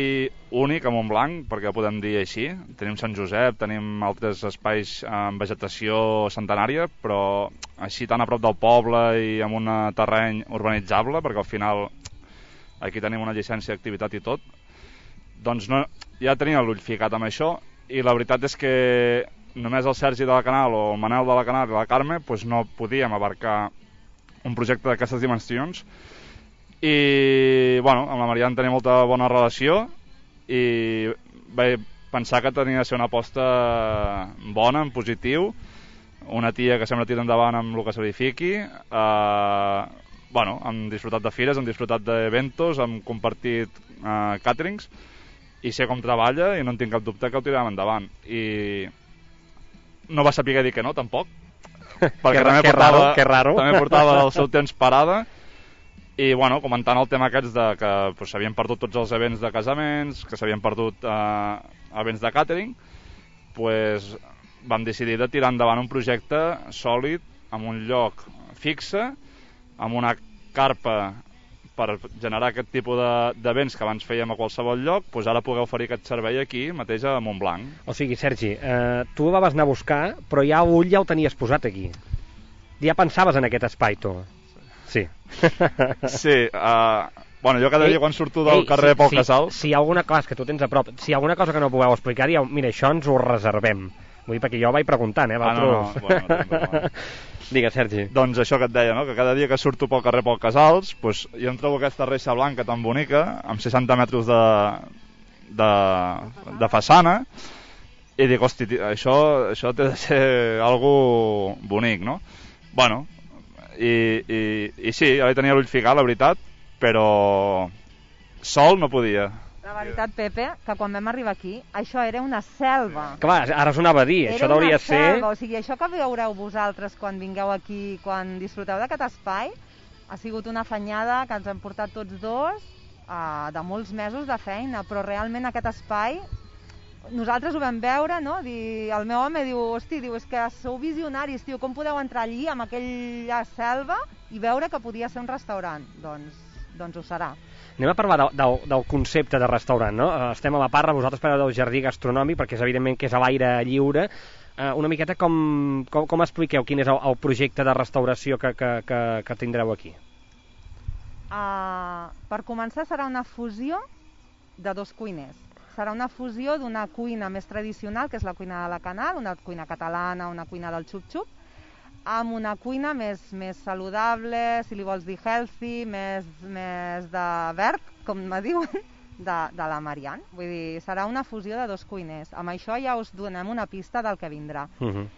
únic a Montblanc, perquè podem dir així, tenim Sant Josep, tenim altres espais amb vegetació centenària, però així tan a prop del poble i amb un terreny urbanitzable, perquè al final aquí tenim una llicència d'activitat i tot, doncs no, ja tenia l'ull ficat amb això, i la veritat és que només el Sergi de la Canal o el Manel de la Canal i la Carme pues no podíem abarcar un projecte d'aquestes dimensions i bueno, amb la Marian tenia molta bona relació i vaig pensar que tenia de ser una aposta bona, en positiu, una tia que sempre tira endavant amb el que s'edifiqui, eh, bueno, hem disfrutat de fires, hem disfrutat d'eventos, hem compartit eh, caterings i sé com treballa i no en tinc cap dubte que ho tirarem endavant i no va saber dir que no, tampoc, perquè també, que portava, raro, que raro. també portava el seu temps parada i bueno, comentant el tema aquests de que pues, s'havien perdut tots els events de casaments, que s'havien perdut eh, events de catering, pues, vam decidir de tirar endavant un projecte sòlid, amb un lloc fixe, amb una carpa per generar aquest tipus d'events de, que abans fèiem a qualsevol lloc, doncs ara poder oferir aquest servei aquí mateix a Montblanc. O sigui, Sergi, eh, tu la vas anar a buscar, però ja l'ull ja el tenies posat aquí. Ja pensaves en aquest espai, tu. Sí. Sí, uh, bueno, jo cada ei, dia quan surto del ei, carrer sí, Pol sí, Casal... Si hi ha alguna cosa que tu tens a prop, si hi ha alguna cosa que no podeu explicar, ja, mira, això ens ho reservem. Vull dir, perquè jo vaig preguntant, eh, ah, no, no, bueno, no, Digues, Sergi. Doncs això que et deia, no? Que cada dia que surto pel carrer Pol Casals, pues, jo em trobo aquesta reixa blanca tan bonica, amb seixanta metres de, de, de façana, i dic, hosti, això, això té de ser algo bonic, no? Bueno, i, i, i sí, ja tenia l'ull ficat, la veritat, però sol no podia. La veritat, Pepe, que quan vam arribar aquí, això era una selva. Clar, ara us anava a dir, era això hauria de ser... Era una selva, o sigui, això que veureu vosaltres quan vingueu aquí, quan disfruteu d'aquest espai, ha sigut una afanyada que ens hem portat tots dos, uh, de molts mesos de feina, però realment aquest espai, nosaltres ho vam veure, no? Dir, el meu home diu, hosti, diu, és que sou visionaris, tio, com podeu entrar allí, amb aquella selva, i veure que podia ser un restaurant? Doncs, doncs ho serà. Anem a parlar del, del, del concepte de restaurant, no? Estem a la Parra, vosaltres parleu del jardí gastronòmic, perquè és evidentment que és a l'aire lliure. Uh, una miqueta com, com, com expliqueu quin és el, el projecte de restauració que, que, que, que tindreu aquí? Uh, per començar serà una fusió de dos cuiners. serà una fusió d'una cuina més tradicional, que és la cuina de la Canal, una cuina catalana, una cuina del xup-xup, amb una cuina més, més saludable, si li vols dir healthy, més, més de verd, com me diuen, de, de la Marian. Vull dir, serà una fusió de dos cuiners. Amb això ja us donem una pista del que vindrà. Uh-huh.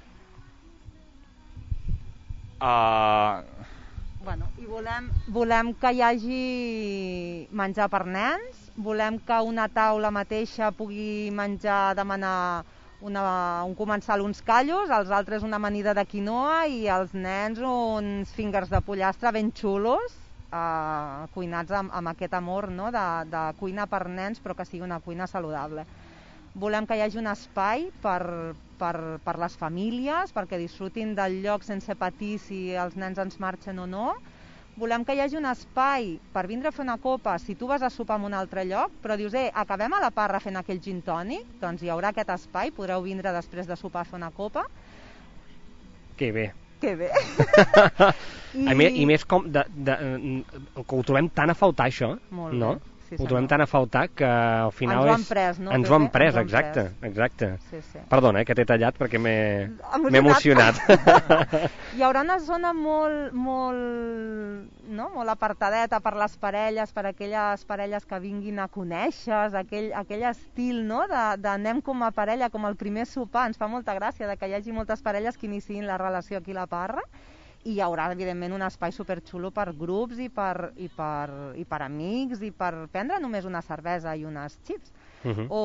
Uh... Bueno, i volem, volem que hi hagi menjar per nens, volem que una taula mateixa pugui menjar, demanar una, un comensal uns callos, els altres una amanida de quinoa i els nens uns fingers de pollastre ben xulos, eh, cuinats amb, amb aquest amor, no? de, de cuina per nens, però que sigui una cuina saludable. Volem que hi hagi un espai per, per, per les famílies, perquè disfrutin del lloc sense patir si els nens ens marxen o no. Volem que hi hagi un espai per vindre a fer una copa si tu vas a sopar en un altre lloc, però dius, eh, acabem a la Parra fent aquell gin tònic, doncs hi haurà aquest espai, podreu vindre després de sopar a fer una copa. Que bé. Que bé. I... I, I més com, de, de, que ho trobem tan a faltar, això, Molt no? bé. Sí, ho trobem tan a faltar que al final ens ho han és... pres, no? Ens ho han pres, ens exacte, pres. exacte. Sí, sí. Perdona, eh, que t'he tallat perquè m'he emocionat. emocionat. Hi haurà una zona molt, molt, no? molt apartadeta per les parelles, per aquelles parelles que vinguin a conèixer, aquell, aquell estil, no? de, de anem com a parella, com el primer sopar. Ens fa molta gràcia de que hi hagi moltes parelles que iniciïn la relació aquí a la Parra. I hi haurà, evidentment, un espai superxulo per grups i per, i, per, i per amics i per prendre només una cervesa i unes xips. Uh-huh. O,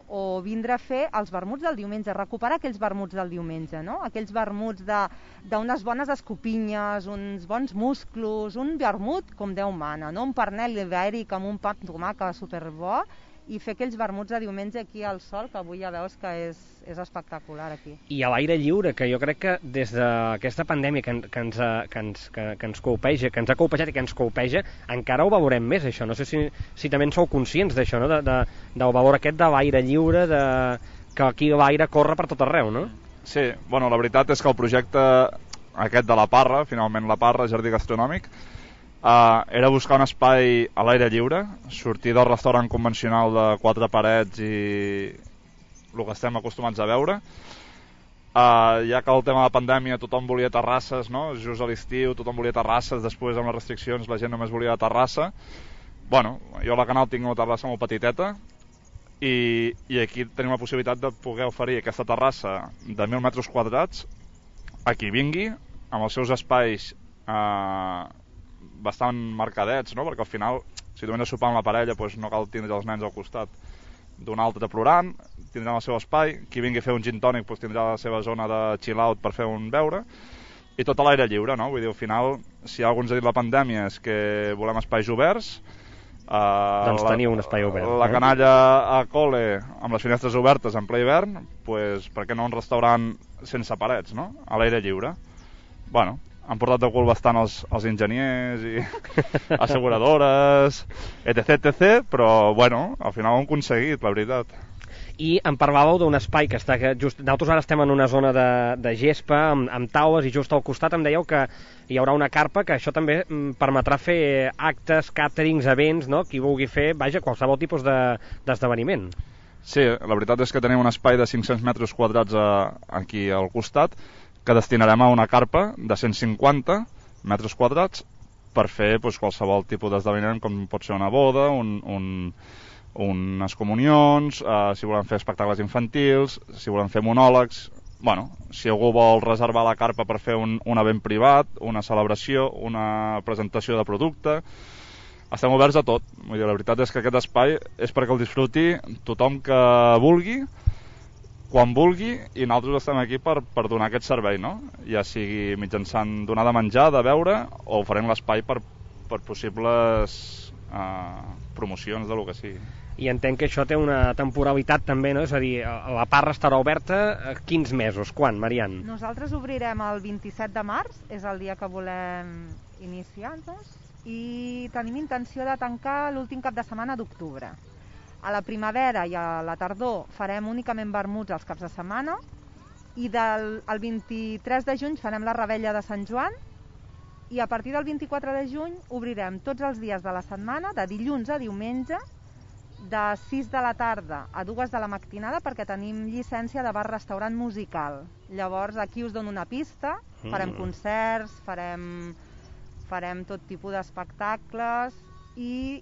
o vindre a fer els vermuts del diumenge, recuperar aquells vermuts del diumenge, no? Aquells vermuts d'unes bones escopinyes, uns bons musclos, un vermut com Déu mana, no? Un pernil ibèric amb un pa amb tomàquet superbo, i fer aquells vermuts de diumenge aquí al sol, que avui ja veus que és, és espectacular aquí. I a l'aire lliure, que jo crec que des d'aquesta pandèmia que, que, ens, que, ens, que, que ens colpeja, que ens ha colpejat i que ens colpeja, encara ho valorem més, això. No sé si, si també en sou conscients d'això, no? de, de, del valor aquest de l'aire lliure, de, que aquí l'aire corre per tot arreu, no? Sí, bueno, la veritat és que el projecte aquest de la Parra, finalment la Parra, Jardí Gastronòmic, Uh, era buscar un espai a l'aire lliure, sortir del restaurant convencional de quatre parets i el que estem acostumats a veure. Uh, ja que el tema de la pandèmia tothom volia terrasses, no? Just a l'estiu tothom volia terrasses, després amb les restriccions la gent només volia terrassa. Bueno, jo a la Canal tinc una terrassa molt petiteta i, i aquí tenim la possibilitat de poder oferir aquesta terrassa de mil metres quadrats a qui vingui, amb els seus espais uh, bastant marcadets, no? Perquè al final, si tu vens a sopar amb la parella, doncs no cal tindre els nens al costat d'un altre plorant, tindran el seu espai, qui vingui a fer un gin tònic doncs tindrà la seva zona de chill out per fer un beure, i tot a l'aire lliure, no? Vull dir, al final, si algú ens ha dit la pandèmia és que volem espais oberts, eh, doncs la, teniu un espai obert. La eh? canalla a col·le amb les finestres obertes en ple hivern, doncs per què no un restaurant sense parets, no? A l'aire lliure. Bueno, han portat de cul bastant els, els enginyers i asseguradores, etc, etc, però, bueno, al final ho hem aconseguit, la veritat. I em parlàveu d'un espai que està... Que just, nosaltres ara estem en una zona de, de gespa, amb, amb taules, i just al costat em dèieu que hi haurà una carpa, que això també mm, permetrà fer actes, càterings, events, no? Qui vulgui fer, vaja, qualsevol tipus d'esdeveniment. De, sí, la veritat és que tenim un espai de cinc-cents metres quadrats a, aquí al costat, que destinarem a una carpa de cent cinquanta metres quadrats per fer doncs, qualsevol tipus d'esdeveniment, com pot ser una boda, un, un, unes comunions, eh, si volem fer espectacles infantils, si volem fer monòlegs. Bueno, si algú vol reservar la carpa per fer un, un event privat, una celebració, una presentació de producte, estem oberts a tot. Vull dir, la veritat és que aquest espai és perquè el disfruti tothom que vulgui, quan vulgui, i nosaltres estem aquí per, per donar aquest servei, no? Ja sigui mitjançant donar de menjar, de beure, o oferint l'espai per, per possibles eh, promocions de lo que sigui. I entenc que això té una temporalitat també, no? És a dir, la Parra estarà oberta quins mesos? Quan, Marian? Nosaltres obrirem el vint-i-set de març, és el dia que volem iniciar-nos, i tenim intenció de tancar l'últim cap de setmana d'octubre. A la primavera i a la tardor farem únicament vermuts els caps de setmana, i del el vint-i-tres de juny farem la revetlla de Sant Joan, i a partir del vint-i-quatre de juny obrirem tots els dies de la setmana, de dilluns a diumenge, de sis de la tarda a dues de la matinada perquè tenim llicència de bar-restaurant musical. Llavors aquí us dono una pista, farem concerts, farem, farem tot tipus d'espectacles i,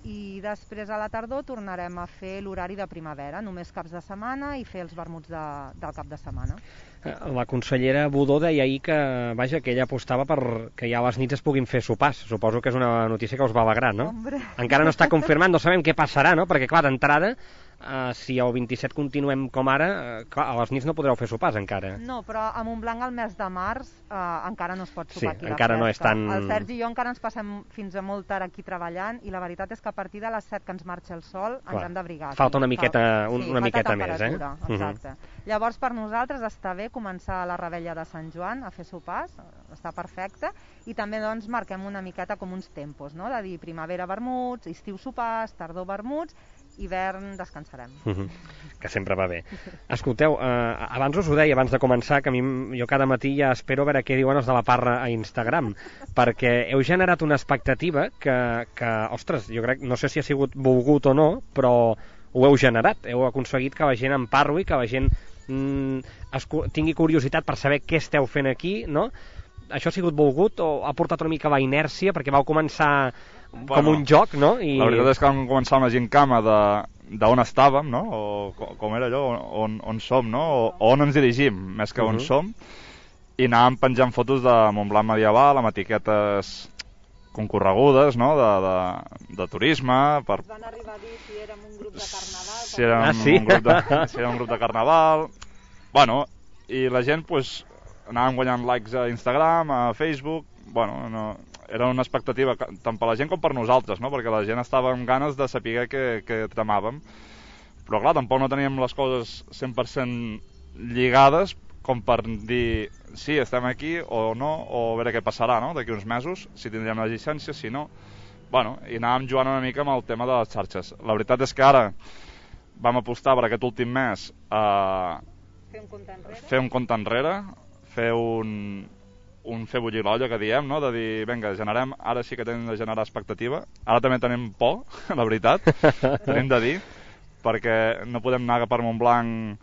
i després a la tardor tornarem a fer l'horari de primavera, només caps de setmana i fer els vermuts de, del cap de setmana. La consellera Budó deia ahir que, vaja, que ella apostava per que ja a les nits es puguin fer sopars. Suposo que és una notícia que us va alegrar, no? Hombre. Encara no està confirmat, no sabem què passarà, no? Perquè, clar, d'entrada, eh, si el vint-i-set continuem com ara, eh, clar, a les nits no podreu fer sopars encara. No, però a Montblanc el mes de març eh, encara no es pot sopar sí, aquí a la encara fresca. No és tan... El Sergi i jo encara ens passem fins a molt tard aquí treballant i la veritat és que a partir de les set que ens marxa el sol clar, ens hem d'abrigar. Falta una miqueta, Falta, un, sí, una miqueta més, eh? Exacte. Uh-huh. Llavors per nosaltres està bé començar la rebella de Sant Joan a fer sopars, està perfecte, i també doncs marquem una miqueta com uns tempos, no? De dir primavera vermuts, estiu sopars, tardor vermuts, hivern descansarem. Uh-huh. Que sempre va bé. Escolteu, eh, abans us ho deia, abans de començar, que a mi, jo cada matí ja espero a veure què diuen els de la Parra a Instagram, perquè heu generat una expectativa que, que, ostres, jo crec, no sé si ha sigut volgut o no, però ho heu generat, heu aconseguit que la gent en parli, que la gent mm, es, tingui curiositat per saber què esteu fent aquí, no? Això ha sigut volgut o ha portat una mica la inèrcia, perquè vau començar com bueno, un joc, no? I... La veritat és que vam començar una gincama de d'on estàvem, no? O com era allò, on, on som, no? O, o on ens dirigim, més que on uh-huh. som, i anàvem penjant fotos de Montblanc medieval amb etiquetes concorregudes, no? De, de, de turisme. Per... Van arribar a dir si érem un grup de carnaval. Si érem, ah, sí? un, grup de, si érem un grup de carnaval. Bueno, i la gent, pues, anàvem guanyant likes a Instagram, a Facebook, bueno, no... era una expectativa tant per la gent com per nosaltres, no? Perquè la gent estava amb ganes de saber què, què tramàvem. Però clar, tampoc no teníem les coses cent per cent lligades com per dir sí, estem aquí o no, o a veure què passarà, no? D'aquí uns mesos, si tindríem la llicència, si no. Bueno, i anàvem jugant una mica amb el tema de les xarxes. La veritat és que ara vam apostar per aquest últim mes a fer un compte enrere, fer un, compte enrere, fer un un fer bullir l'olla, que diem, no? De dir, vinga, generem, ara sí que tenim de generar expectativa. Ara també tenim por, la veritat, tenim de dir, perquè no podem anar per Montblanc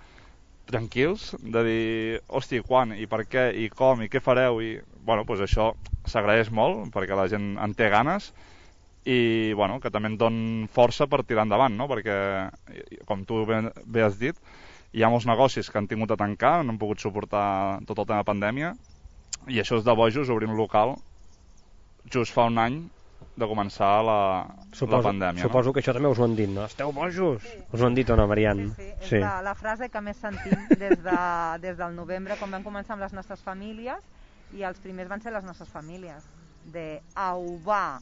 tranquils, de dir, hosti, quan, i per què, i com, i què fareu, i... Bueno, doncs això s'agraeix molt, perquè la gent en té ganes, i, bueno, que també en don força per tirar endavant, no? Perquè, com tu bé, bé has dit, hi ha molts negocis que han tingut de tancar, no han pogut suportar tot el tema de pandèmia, i això és de bojos, obrir un local just fa un any de començar la, suposo, la pandèmia. Suposo no? que això també us ho han dit, no? Esteu bojos? Sí. Us ho han dit o no, Marian? Sí, sí, és sí. La, la frase que més sentim des, de, des del novembre, quan vam començar amb les nostres famílies, i els primers van ser les nostres famílies, de au va!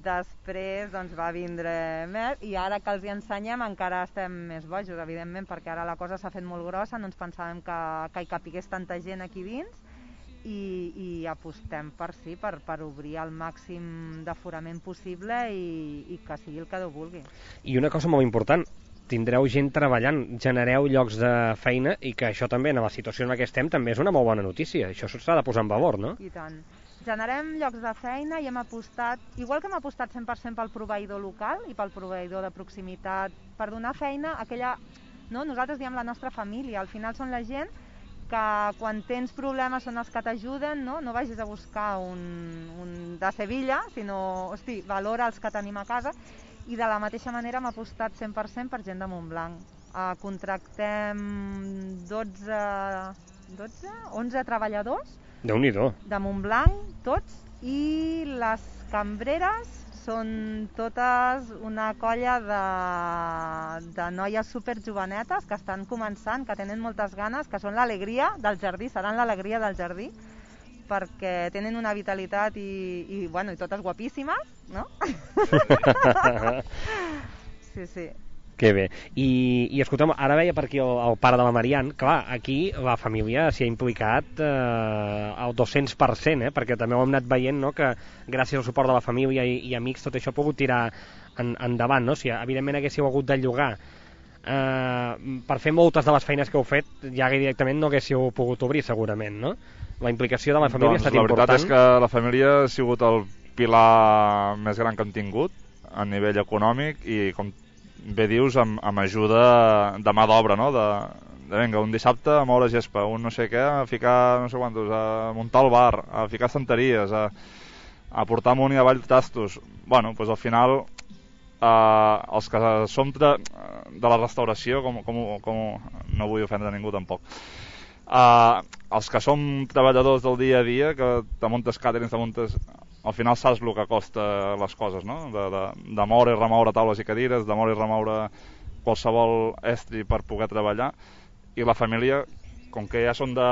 Després doncs, va vindre més, i ara que els hi ensenyem encara estem més bojos, evidentment, perquè ara la cosa s'ha fet molt grossa, no ens pensàvem que, que hi capigués tanta gent aquí dins, i, i apostem per sí, per, per obrir el màxim d'aforament possible i, i que sigui el que Déu vulgui. I una cosa molt important, tindreu gent treballant, genereu llocs de feina, i que això també, en la situació en la que estem, també és una molt bona notícia. Això s'ha de posar en valor, no? I tant. Generem llocs de feina i hem apostat, igual que hem apostat cent per cent pel proveïdor local i pel proveïdor de proximitat, per donar feina a aquella... No? Nosaltres diem la nostra família, al final són la gent que quan tens problemes són els que t'ajuden, no? No vagis a buscar un, un de Sevilla, sinó, hosti, valora els que tenim a casa, i de la mateixa manera hem apostat cent per cent per gent de Montblanc. Uh, contractem dotze, dotze, onze treballadors Déu-n'hi-do. de Montblanc, tots, i les cambreres són totes una colla de, de noies superjovenetes que estan començant, que tenen moltes ganes, que són l'alegria del jardí, seran l'alegria del jardí, perquè tenen una vitalitat i, i, bueno, i totes guapíssimes, no? Sí, sí. Que bé. I, i escolta'm, ara veia per aquí el, el pare de la Marian, clar, aquí la família s'hi ha implicat eh, al dos-cents per cent, eh, perquè també ho hem anat veient, no?, que gràcies al suport de la família i, i amics tot això ha pogut tirar en, endavant, no? Si evidentment haguéssiu hagut de llogar eh, per fer moltes de les feines que heu fet, ja directament no haguéssiu pogut obrir segurament, no? La implicació de la família doncs, ha estat important. La veritat és que la família ha sigut el pilar més gran que hem tingut. a nivell econòmic i, com bé dius, amb, amb ajuda de mà d'obra, no? De, de vinga, un dissabte a moure gespa, un no sé què, a ficar no sé quantos, a muntar el bar, a ficar estanteries, a, a portar amunt i avall tastos. Bueno, doncs al final eh, els que som de, de la restauració, com, com, com no vull ofendre ningú tampoc, eh, els que som treballadors del dia a dia, que te muntes càterings, te muntes... Al final saps el que costa les coses, no? De, de, de moure i remoure taules i cadires, de moure i remoure qualsevol estri per poder treballar. I la família, com que ja són de,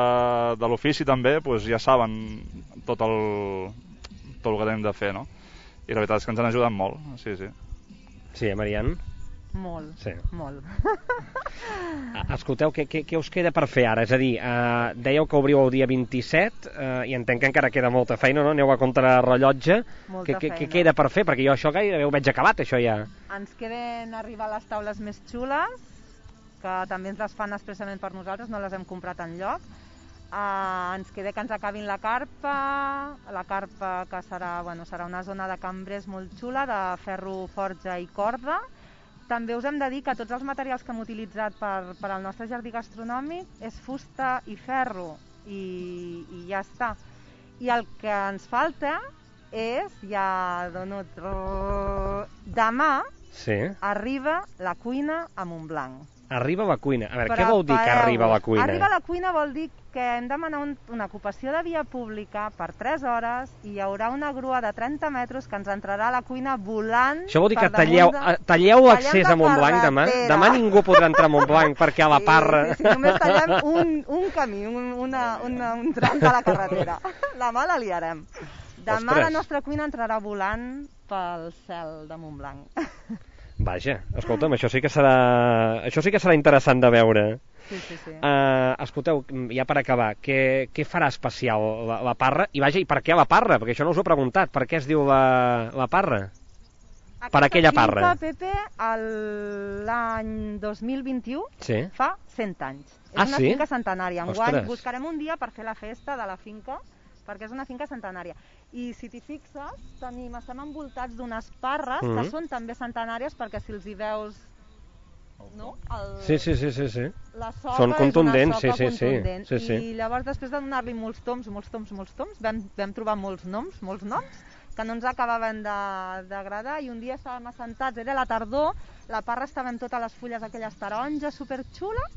de l'ofici també, doncs ja saben tot el, tot el que tenim de fer, no? I la veritat és que ens han ajudat molt, sí, sí. Sí, eh, Marian? Molt, sí. molt. Escolteu, què, què, què us queda per fer ara? És a dir, eh, dèieu que obriu el dia vint-i-set eh, i entenc que encara queda molta feina, no? Aneu a contrarrellotge. Què, què, què queda per fer? Perquè jo això gairebé ho veig acabat, això ja. Ens queden arribar a les taules més xules, que també ens les fan expressament per nosaltres, no les hem comprat enlloc. Uh, ens queda que ens acabin la carpa, la carpa que serà, bueno, serà una zona de cambrers molt xula, de ferro, forja i corda. També us hem de dir que tots els materials que hem utilitzat per, per al nostre jardí gastronòmic és fusta i ferro, i, i ja està. I el que ens falta és, ja dono... Demà sí. Arriba la cuina a Montblanc. Arriba a la cuina. A veure, què vol dir que arriba a la cuina? Arriba a la cuina vol dir que hem demanat un, una ocupació de via pública per tres hores i hi haurà una grua de trenta metres que ens entrarà a la cuina volant. Això vol dir que talleu, de... talleu l'accés a Montblanc demà? Demà ningú podrà entrar a Montblanc perquè a la Parra... Sí, sí, sí, només tallem un, un camí, un, una, una, un tram de la carretera. Demà la liarem. Demà Ostres. La nostra cuina entrarà volant pel cel de Montblanc. Vaja, escolta'm, això sí que serà, això sí que serà interessant de veure. Sí, sí, sí. Uh, escolteu, ja per acabar, què, què farà especial la, la Parra? I vaja, i per què la Parra? Perquè això no us ho he preguntat. Per què es diu la, la Parra? Aquesta per aquella Parra. Aquesta finca, Pepe, l'any dos mil vint-i-u sí. Fa cent anys. És ah, una sí? finca centenària. Enguany buscarem un dia per fer la festa de la finca, perquè és una finca centenària. I si t'hi fixes, tenim, estem envoltats d'unes parres mm -hmm. que són també centenàries, perquè si els hi veus... No? El... Sí, sí, sí, sí, sí. La soca són contundents, és una soca sí, sí, contundent. Sí, sí. I llavors, després de donar-li molts toms, molts toms, molts toms, vam, vam trobar molts noms, molts noms, que no ens acabaven d'agradar, i un dia estàvem assentats, era la tardor, la parra estava amb totes les fulles aquelles taronges superxules,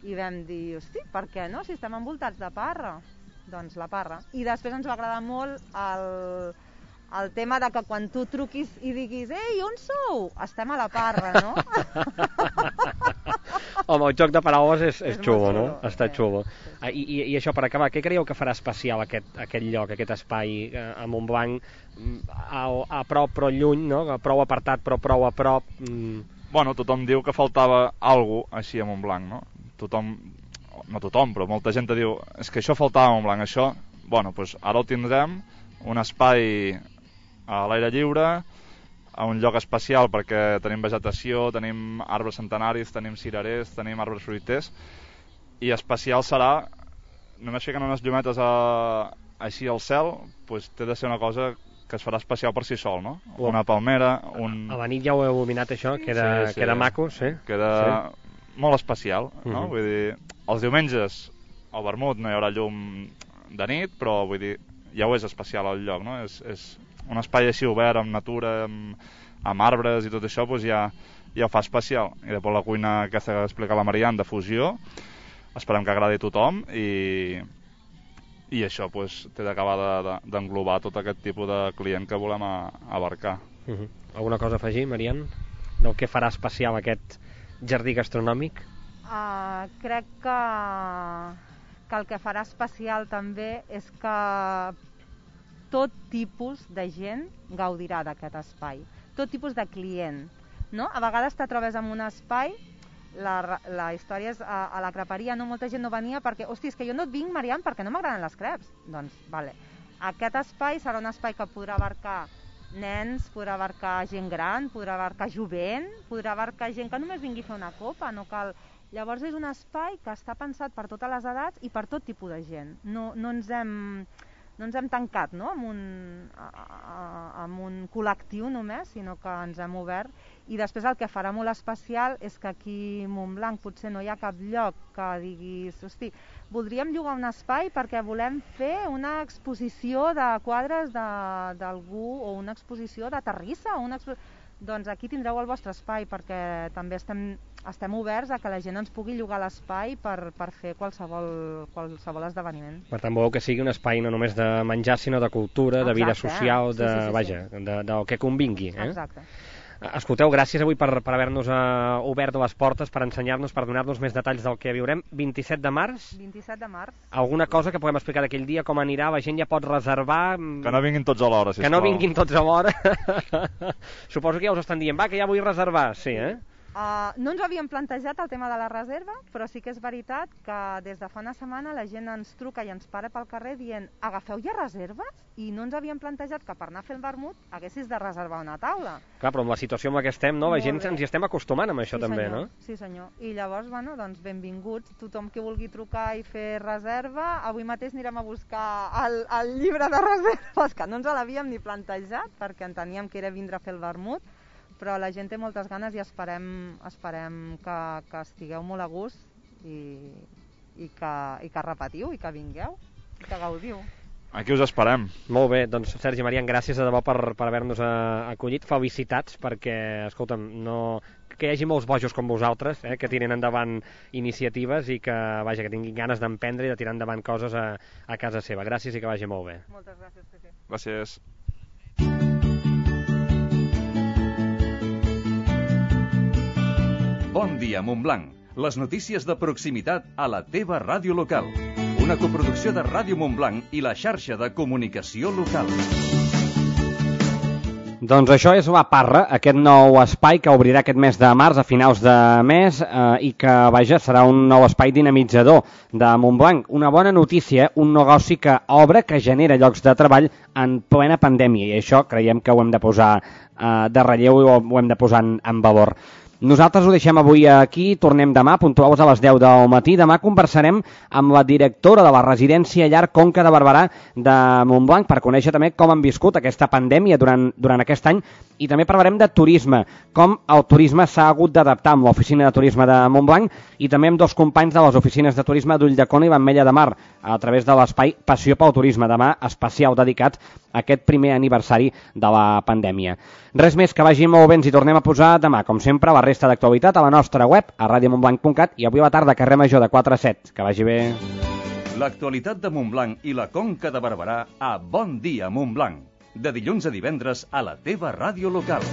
i vam dir, hosti, per què no, si estem envoltats de parra? Doncs la Parra. I després ens va agradar molt el, el tema de que quan tu truquis i diguis ei, on sou? Estem a la Parra, no? Home, el joc de paraules és, és, és xulo, no? Xulo, Està sí. xulo. I, i, I això, per acabar, què creieu que farà especial aquest, aquest lloc, aquest espai a Montblanc, a, a prop però lluny, no? Prou apartat però prou a prop? Mm. Bueno, tothom diu que faltava alguna cosa així a Montblanc, no? Tothom... no tothom, però molta gent diu és que això faltava a Montblanc, això bueno, doncs ara ho tindrem, un espai a l'aire lliure, a un lloc especial perquè tenim vegetació, tenim arbres centenaris, tenim cirerers, tenim arbres fruiters, i especial serà només ficant unes llumetes a, així al cel, doncs té de ser una cosa que es farà especial per si sol, no? Una palmera, un... A la nit ja ho heu il·luminat això, queda, sí, sí. queda maco, sí. Queda sí. Molt especial, no? Uh-huh. Vull dir, els diumenges al vermut no hi haurà llum de nit, però vull dir, ja ho és especial el lloc, no? És, és un espai així obert, amb natura, amb, amb arbres i tot això, doncs ja, ja ho fa especial. I després la cuina aquesta que explica la Marian de fusió, esperem que agradi a tothom i, i això doncs, té d'acabar d'englobar tot aquest tipus de client que volem a, abarcar. Uh-huh. Alguna cosa a afegir, Marian? Del que farà especial aquest jardí gastronòmic? Uh, crec que, que el que farà especial també és que tot tipus de gent gaudirà d'aquest espai, tot tipus de client, no? A vegades te trobes en un espai, la, la història és a, a la creperia, no? Molta gent no venia perquè, hosti, és que jo no et vinc, Marian, perquè no m'agraden les creps. Doncs, vale. Aquest espai serà un espai que podrà abarcar nens, podrà abarcar gent gran, podrà abarcar jovent, podrà abarcar gent que només vingui a fer una copa, no cal... Llavors és un espai que està pensat per totes les edats i per tot tipus de gent. No, no ens hem... no ens hem tancat, no?, amb un, a, a, amb un col·lectiu només, sinó que ens hem obert. I després el que farà molt especial és que aquí a Montblanc potser no hi ha cap lloc que diguis, hosti, voldríem llogar un espai perquè volem fer una exposició de quadres d'algú o una exposició de terrissa, una expo... doncs aquí tindreu el vostre espai, perquè també estem, estem oberts a que la gent ens pugui llogar l'espai per, per fer qualsevol, qualsevol esdeveniment. Per tant, voleu que sigui un espai no només de menjar, sinó de cultura, de vida social, de, sí, sí, sí, vaja, sí. de, del que convingui. Eh? Exacte. Escolteu, gràcies avui per, per haver-nos uh, obert les portes, per ensenyar-nos, per donar-nos més detalls del que viurem. vint-i-set de març? vint-i-set de març. Alguna cosa que puguem explicar d'aquell dia, com anirà? La gent ja pot reservar? Que no vinguin tots a l'hora, sisplau. Que no vinguin tots a l'hora. Suposo que ja us estan dient, va, que ja vull reservar. Sí, eh? Uh, no ens havíem plantejat el tema de la reserva, però sí que és veritat que des de fa una setmana la gent ens truca i ens para pel carrer dient agafeu ja reserves? I no ens havíem plantejat que per anar a fer el vermut haguessis de reservar una taula. Clar, però amb la situació en la que estem, no? La gent ens hi estem acostumant amb això, sí, també, senyor. no? Sí, senyor. I llavors, bueno, doncs benvinguts. Tothom que vulgui trucar i fer reserva, avui mateix anirem a buscar el, el llibre de reserves, que no ens l'havíem ni plantejat, perquè enteníem que era vindre a fer el vermut, però la gent té moltes ganes i esperem, esperem que, que estigueu molt a gust i, i, que, i que repetiu i que vingueu i que gaudiu. Aquí us esperem. Molt bé, doncs Sergi Marian, gràcies de debò per, per haver-nos acollit. Felicitats perquè, escolta'm, no... que hi hagi molts bojos com vosaltres, eh, que tiren endavant iniciatives i que, vaja, que tinguin ganes d'emprendre i de tirar endavant coses a, a casa seva. Gràcies i que vagi molt bé. Moltes gràcies, Pepe. Gràcies. Bon dia, Montblanc. Les notícies de proximitat a la teva ràdio local. Una coproducció de Ràdio Montblanc i la xarxa de comunicació local. Doncs això és La Parra, aquest nou espai que obrirà aquest mes de març, a finals de mes, eh, i que, vaja, serà un nou espai dinamitzador de Montblanc. Una bona notícia, un negoci que obre, que genera llocs de treball en plena pandèmia, i això creiem que ho hem de posar eh, de relleu i ho, ho hem de posar en, en valor. Nosaltres ho deixem avui aquí, tornem demà, puntuals a les deu del matí. Demà conversarem amb la directora de la residència Llar Conca de Barberà de Montblanc per conèixer també com han viscut aquesta pandèmia durant, durant aquest any, i també parlarem de turisme, com el turisme s'ha hagut d'adaptar amb l'oficina de turisme de Montblanc i també amb dos companys de les oficines de turisme d'Ulldecona i l'Ametlla de Mar a través de l'espai Passió pel Turisme, demà especial dedicat a aquest primer aniversari de la pandèmia. Res més, que vagi molt bé, ens hi tornem a posar demà, com sempre, la resta d'actualitat a la nostra web, a radio montblanc punt cat, i avui a la tarda, carrer Major de quatre a set. Que vagi bé. L'actualitat de Montblanc i la Conca de Barberà a Bon Dia Montblanc. De dilluns a divendres a la teva ràdio local.